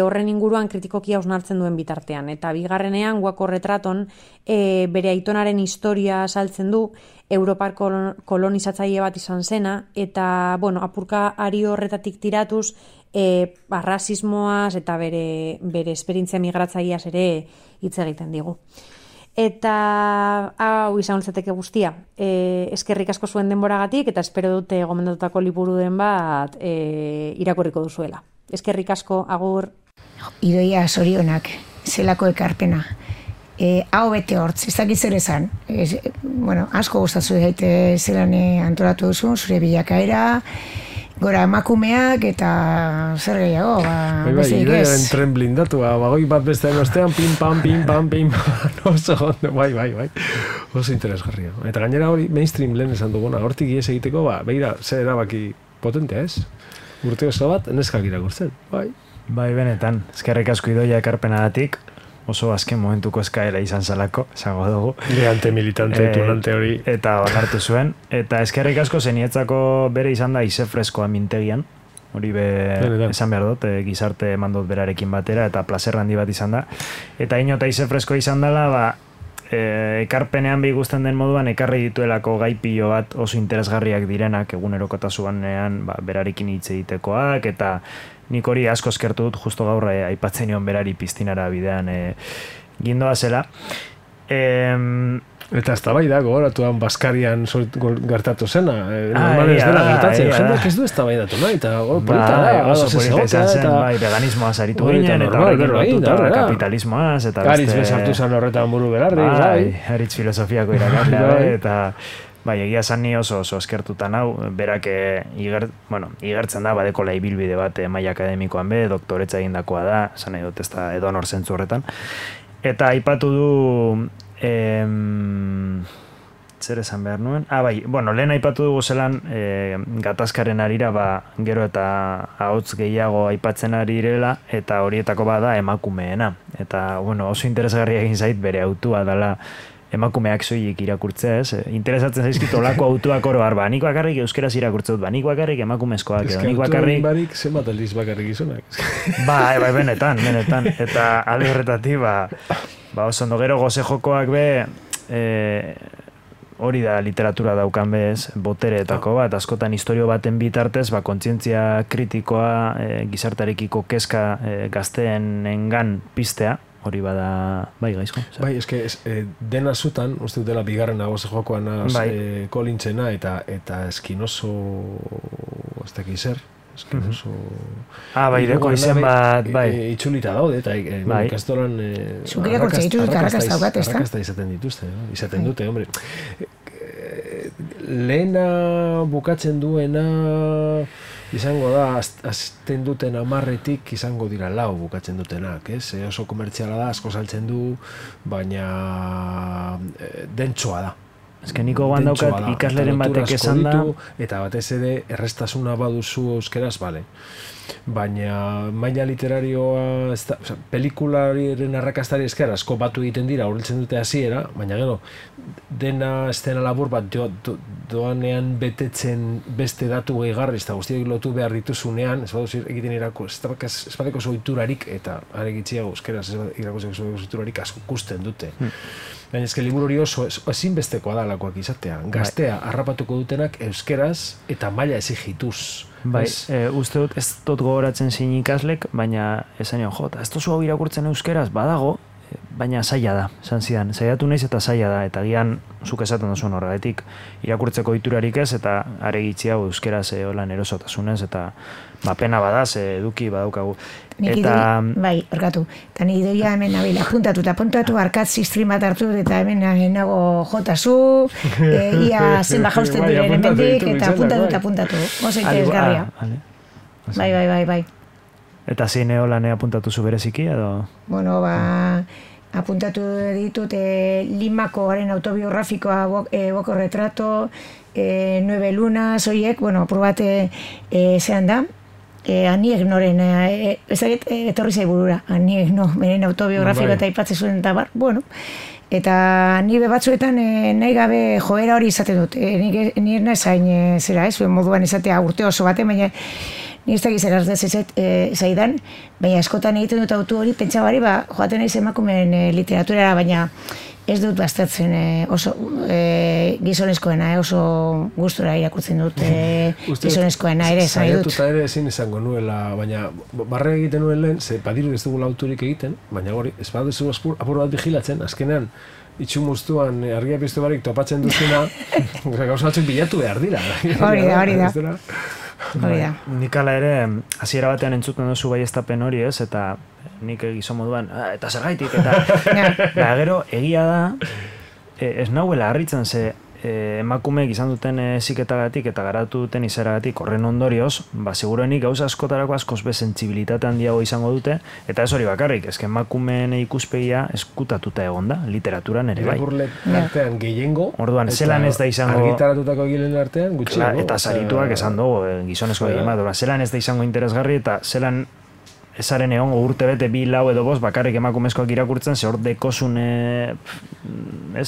horren inguruan kritikoki hausnartzen duen bitartean. Eta bigarrenean Guako retraton bere aitonaren historia saltzen du, Europar kolonizatzaile bat izan zena, eta apurka ari horretatik tiratuz, rasismoaz eta bere esperientzia migratzaileaz ere hitz egiten digu. Eta hau izan litzateke guztia. Eskerrik asko zuen denboragatik eta espero dute gomendatutako liburuen bat irakurriko duzuela. Eskerrik asko, agur.
Idoia zorionak, zelako ekarpena. Hau bete hortz, ez dakit zer esan. Asko gustatu daite zelan antolatu duzu, zure bilakaera, gora emakumeak eta zer gehiago, besteik ez.
Idoiaren tren blindatu, bagoi bat bestean ostean, pim, pam, oso ondo, bai. Oso interesgarria. Eta gainera hori mainstream lehen esan duguna, hortik ies egiteko, begira, zer erabaki potentea ez? Urte oso bat, neskak irakurtzen, bai.
Bai, benetan, eskerrik asko Idoia ekarpenagatik, oso azken momentuko eskaera izan zalako, esango dugu.
Leante militante, tunante hori.
Eta onartu zuen. Eta eskerrik asko zenietzako bere izan da ize freskoa mintegian. Hori esan behar dut, gizarte mandot berarekin batera, eta plazer handi bat izan da. Eta inota ize freskoa izan dela, ekarpenean ikusten den moduan, ekarri dituelako gai pilo bat oso interesgarriak direnak, egunerokotasunean berarekin hitz egitekoak, eta nik hori asko eskertu dut, justo gaur aipatzen nion berari piztinara bidean gindoa zela.
Eta ez da bai da, gogoratuan Baskarian gertatu zena. Normal ez dela gertatzen. Jendeak ez du ez da bai datu nahi, eta polita da.
Oso polita izan zen, veganismoaz aritu ginen, eta horrekin lotuta kapitalismoaz, eta beste...
Aritz bezartu zen horretan buru belarri.
Aritz filosofiako irakaslea, eta... Bai, egia esan ni oso eskertutan hau, berak igertzen da, badekola ibilbide bat maila akademikoan be, doktoretza egindakoa da, esan nahi dut ez da edonor zentzu horretan. Eta aipatu du, zer esan behar nuen? Lehen aipatu dugu zelan gatazkaren arira, gero eta ahots gehiago aipatzen ari direla, eta horietako bada emakumeena. Eta, oso interesgarria egin zait bere autua dela, emakumeak soilik irakurtzea, ez? Interesatzen zaizkit olako autuak oro har, nik bakarrik euskeraz irakurtze dut, nik bakarrik emakumezkoak, edo nik bakarrik...
Barik, zenbat aldiz bakarrik izunak.
Bai, benetan. Eta alde horretatik, oso ondo gero goze jokoak be, hori da literatura daukan bez, botereetako bat, askotan historio baten bitartez, kontzientzia kritikoa, gizartarekiko kezka gazteenengan piztea, hori bada, gaizko.
Bai, eske dena zutan, uste dela bigarrena goze jokoan kolintzena, eta eskinoso, ez dakiz zer, eskinoso...
Deko izen bat,
itxulita daude, eta ikastolan...
Zukiriak urtze dituzut, arrakazta daukat, ez da?
Arrakazta izaten dituzte, izaten dute, hombre. Lehena bukatzen duena... izango da, azten duten 10 izango dira 4 bukatzen dutenak, ez? Oso komertziala da, asko saltzen du, baina dentsoa da.
Eske niko daukat ikasleren batek esan da,
eta batez ere errestasuna baduzu euskeraz, bale. Baina maila literarioa, pelikularen arrakastari esker asko batu egiten dira, horretzen dute hasiera, baina gero, dena estena labur bat doanean betetzen beste datu gehigarri, eta guztiak lotu behar dituzunean, ez baduz egiten ez badeko zoiturarik, eta aregitziago euskeraz irakozeko zoiturarik asko ikusten dute. Baina ezke liburu hori oso ezinbestekoa da lakoak izatea. Gaztea harrapatuko dutenak euskeraz eta maila exigituz.
Bai, uste dut ez dut gogoratzen zein ikaslek, baina esan nion, ez tozu hau irakurtzen euskeraz, badago, baina zaila da, esan zidan. Zaiatu naiz eta zaila da, eta gian zuk esaten duzuen horregatik irakurtzeko iturarik ez, eta aregitzi hau euskeraz holan erosotasunez, eta pena badaz, eduki badaukagu.
Bai, orkatu. Eta ni doia hemen nabil, apuntatu, arkatzi stream bat hartu, eta hemen nago jotazu, ia zenba jausten diren hemendik, eta apuntatu. Oso interesgarria. Bai.
Eta zein holan apuntatu zu bereziki, edo?
Bueno, apuntatu ditut Limakoaren autobiografikoa Boko retrato, 9 lunas, oiek, bueno, probate zean da, Aniek noren, etorri zai burura, Aniek no, beren autobiografikoa eta ipatze zuen eta bar, bueno, eta nire batzuetan nahi gabe joera hori izaten dut, nire nahi zain zera, zuen moduan izatea urte oso baten, baina ni ez dakiz eraz zaidan, baina askotan egiten dut autu hori, pentsabari, joaten naiz emakumeen literaturara, baina ez dut baztertzen oso gizonezkoena, oso gustura irakurtzen dut gizonezkoena ere, zai dut.
Saiatuta ere ezin izango nuela, baina barre egiten nuen lehen, ze badiru ez dugula auturik egiten, baina hori, ez baduzu apur bat vigilatzen, azkenean, itxumuztuan argia piztu barik topatzen duzuna, gauza batzuk bilatu behar dira.
Hori da.
Nik ala ere, hasiera batean entzuten duzu baieztapen hori ez, eta nik gizon moduan, eta zergaitik, eta gero egia da, ez nahuela harritzen ze emakumeek izan duten heziketagatik eta garatu duten izeragatik horren ondorioz, seguruenik gauza askotarako askoz bezentzibilitate handiago izango dute, eta ez hori bakarrik, ezke emakumeen ikuspegia eskutatuta egon da, literaturan ere bai.
Irakurle artean gehiengo,
orduan, zelan ez da izango
argitaratutako gilen artean gutxiago.
Eta sarituak esan dugu, gizonezko egin bat, zelan ez da izango interesgarri eta zelan ezaren egongo urte bete 2, 4 edo 5 bakarrik emakumezkoak irakurtzen, ze hor dekozun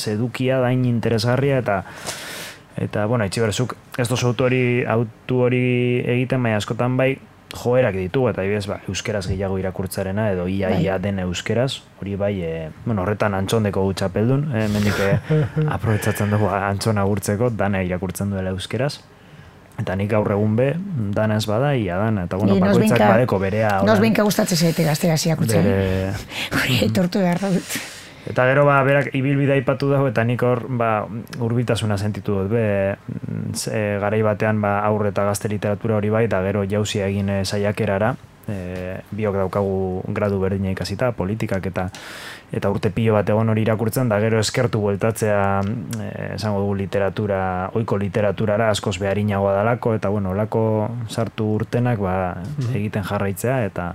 edukia dain interesgarria eta bueno, itxiberzuk ez dozu autu hori egiten, baina askotan bai joerak ditugu, eta ibez euskeraz gehiago irakurtzarena edo ia den euskeraz, hori bai, horretan Antxondeko txapeldun, mendik aprobetsatzen dugu Antxona gurtzeko, dana irakurtzen duela euskeraz. Eta nik gaur egun be, dana ez bada, ia dana, eta bueno, bakoitzak badeko berea.
Nos benka gustatzen zaite gaztera ziakutzen. Hori etortu behar dut.
Eta gero, berak ibilbidea aipatu dago, eta nik hor, urbitasuna sentitu dut, garai batean aurre eta gazte literatura hori bai, eta gero jauzia egin saiakerara, biok daukagu gradu berdina ikasita, politikak eta urte pilo bat egon hori irakurtzen, da gero eskertu bueltatzea esango dugu ohiko literaturara askoz beharinagoa dalako, eta bueno, olako sartu urtenak egiten jarraitzea, eta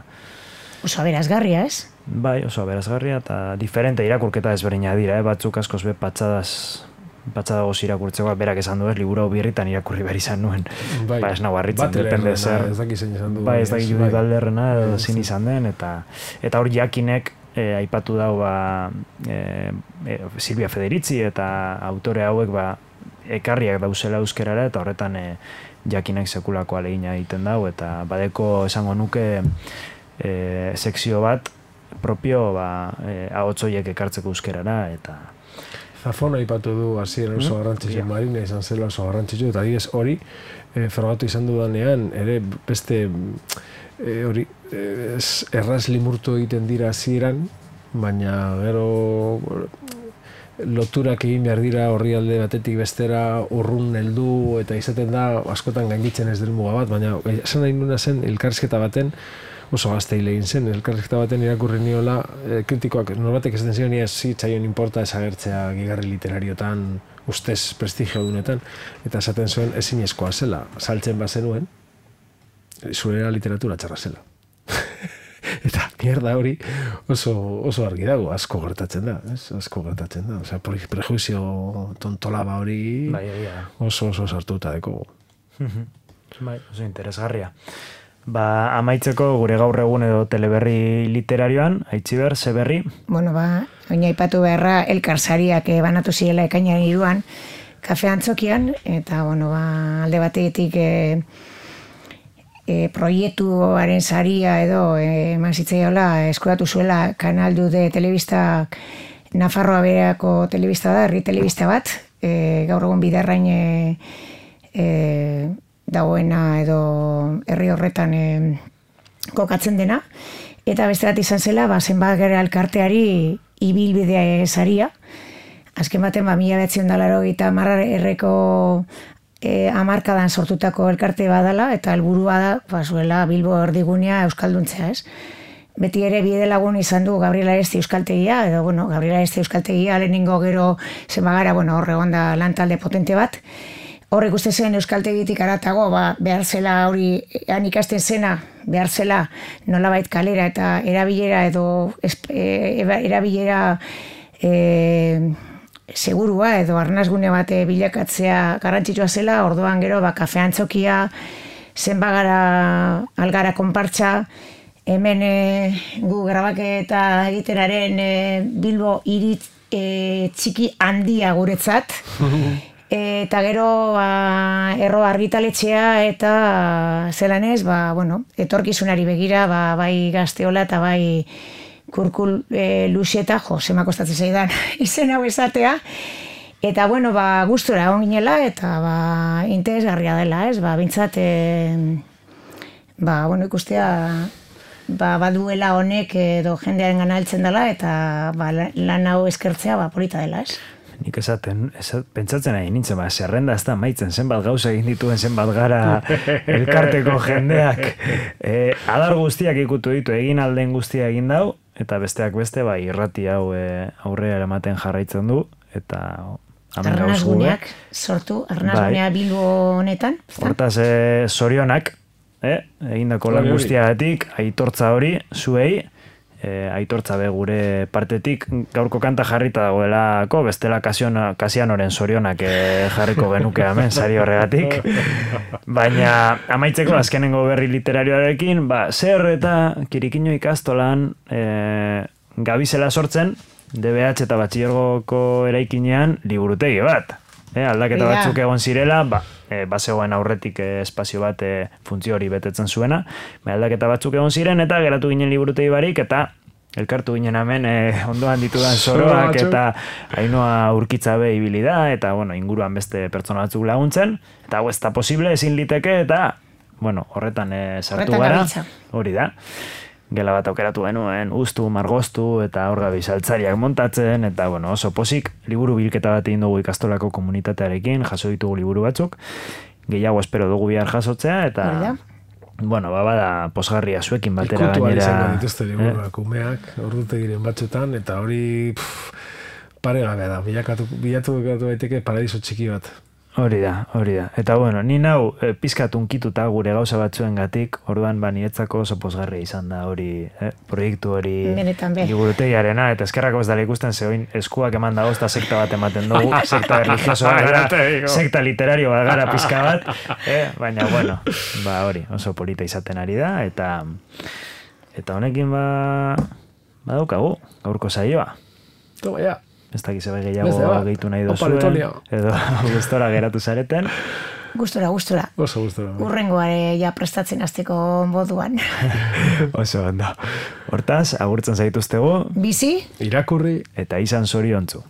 oso aberazgarria, ez?
Bai, oso aberazgarria, eta diferente irakurketa ezberdina dira, batzuk askoz be patxadagoz irakurtzeko, berak esan du ez, liburu hau birritan irakurri behar izan nuen. Ez nago harritzen, depende zer.
Ez dakit zein izan du.
Bai, ez dakit Judith Balderrena, edo zin izan den, eta hor jakinek aipatu dau Silvia Federici eta autore hauek ekarriak dauzela euskerara, eta horretan jakinek sekulako alegina egiten dau, eta badeko esango nuke sekzio bat propio ahotsoiek ekartzeko euskerara, eta
Zafón aipatu du hasieran oso garrantzitsu, Marina izan zela oso garrantzitsu, eta adibidez hori frogatu izan dudanean, ere beste hori erraz limurtu egiten dira hasieran, baina gero loturak egin behar dira orrialde batetik bestera urrun heldu, eta izaten da askotan gainditzen ez del muga bat, baina esan nahi nuna zen elkarrizketa baten, oso gazteile egin zen, elkarrizketa baten irakurri niola, kritikoak norbatek ez den zion, ez zitzaion inporta esagertzea gigarri literariotan, ustez prestigio dunetan, eta esaten zuen ezinezkoa zela, saltzen bazenuen, zurera literatura txarra zela. Eta mierda hori oso argi dago, asko gertatzen da, ez? Asko gertatzen da. Osea, prejuizio tontolaba hori oso sartuta deko.
Bai, oso interesgarria. Amaitzeko gure gaur egun edo teleberri literarioan, Aitziber, ze berri?
Bueno, oina ipatu beharra elkarsariak banatu zirela ekainan 3 kafe antzokian, eta, bueno, alde batetik proiektuaren saria edo eman zitzaiola eskuratu zuela Kanal de telebista Nafarroa bereako telebista da, herri telebista bat, gaur egun Bidarrain dagoena edo herri horretan kokatzen dena, eta beste bat izan zela, zenbat gara elkarteari ibilbidea saria, azken baten 1980 erreko hamarkadan sortutako elkarte badala, eta helburua da, zuela Bilbo erdigunea euskalduntzea, ez? Beti ere bidelagun izan du Gabriel Aresti euskaltegia, edo, bueno, Gabriel Aresti euskaltegia lehenengo gero zenbagara, bueno, horre gonda lantalde potente bat. Horrek uste zen euskaltegitik aratago, behar zela hori, ikasten zena, behar zela nolabait kalera eta erabilera edo erabilera segurua edo arnazgune bat bilakatzea garrantzitsua zela, orduan gero kafe antzokia, zenbagara algara konpartza, hemen gu grabaketa egitenaren Bilbo hiri txiki handia guretzat, eta gero erro argitaletxea eta zelan ez, bueno, etorkizunari begira, bai Gazteola eta bai Kurkul Luxeta, zema kostatzen zaidan izen hau esatea, eta bueno, gustura egon ginela eta interesgarria dela, ez, bintzat bueno, ikustea baduela honek edo jendearen gana heltzen dela eta lan hau eskertzea polita dela, ez?
Nik pentsatzen nahi nintzen, zerrenda ez da maitzen, zenbat gauza egin dituen, zenbat gara elkarteko jendeak. Adar guztiak ikutu ditu, egin alden guztia egin dau, eta besteak beste, irrati hau aurrera eramaten jarraitzen du, eta
Arnazguneak sortu, Arnazgunea Bilbo honetan.
Hortaz, zorionak, egindako lan guztiagatik, aitortza hori, zuei, aitortza be gure partetik gaurko kanta jarrita dagoelako, bestela Kasianoren zorionak jarriko genuke hemen sari horregatik. Baina amaitzeko azkenengo berri literarioarekin, zer eta Kirikino ikastolan gabizela sortzen, DBH eta Batxilergoko eraikinean liburutegi bat. Aldaketa batzuk egon zirela, bazegoen aurretik espazio bat funtzio hori betetzen zuena, aldaketa batzuk egon ziren, eta geratu ginen liburutegi barik, eta elkartu ginen hemen ondoan ditudan Zoroak, eta Ainhoa Urkitzabe ibili da, eta inguruan beste pertsona batzuk laguntzen, eta hau ez da posible, ezin liteke, eta horretan sartu gara, hori da. Gela bat aukeratu genuen, ustu, margoztu, eta hor gabiz altzariak montatzen, eta oso posik, liburu bilketa bat egin dugu ikastolako komunitatearekin, jaso ditugu liburu batzuk, gehiago espero dugu bihar jasotzea, eta bada posgarria zuekin batera gainera.
Ikutu izango dituzte liburuak umeak, ordutegiren batzutan, eta hori paregabea da, bilatu daiteke paradiso txiki bat.
Hori da. Eta ni nau pizkat unkituta gure gauza batzuengatik, orduan niretzako oso pozgarria izan da hori, proiektu hori liburutegiarena, eta eskerrako ez dala ikusten zehoin eskuak eman dago, eta sekta bat ematen dugu, sekta religioso bat gara, sekta literario bat gara pizka bat, baina hori, oso polita izaten ari da, eta honekin badaukagu, gaurko saioa.
Toma ya.
Ez dakiz ebe gehiago gehitu nahi dozuen, edo gustora geratu zareten.
Gustora.
Oso gustora.
Urrengoare ja prestatzen hasteko moduan.
Oso ondo. Hortaz, agurtzen zaituztegu.
Bizi.
Irakurri.
Eta izan zoriontzu.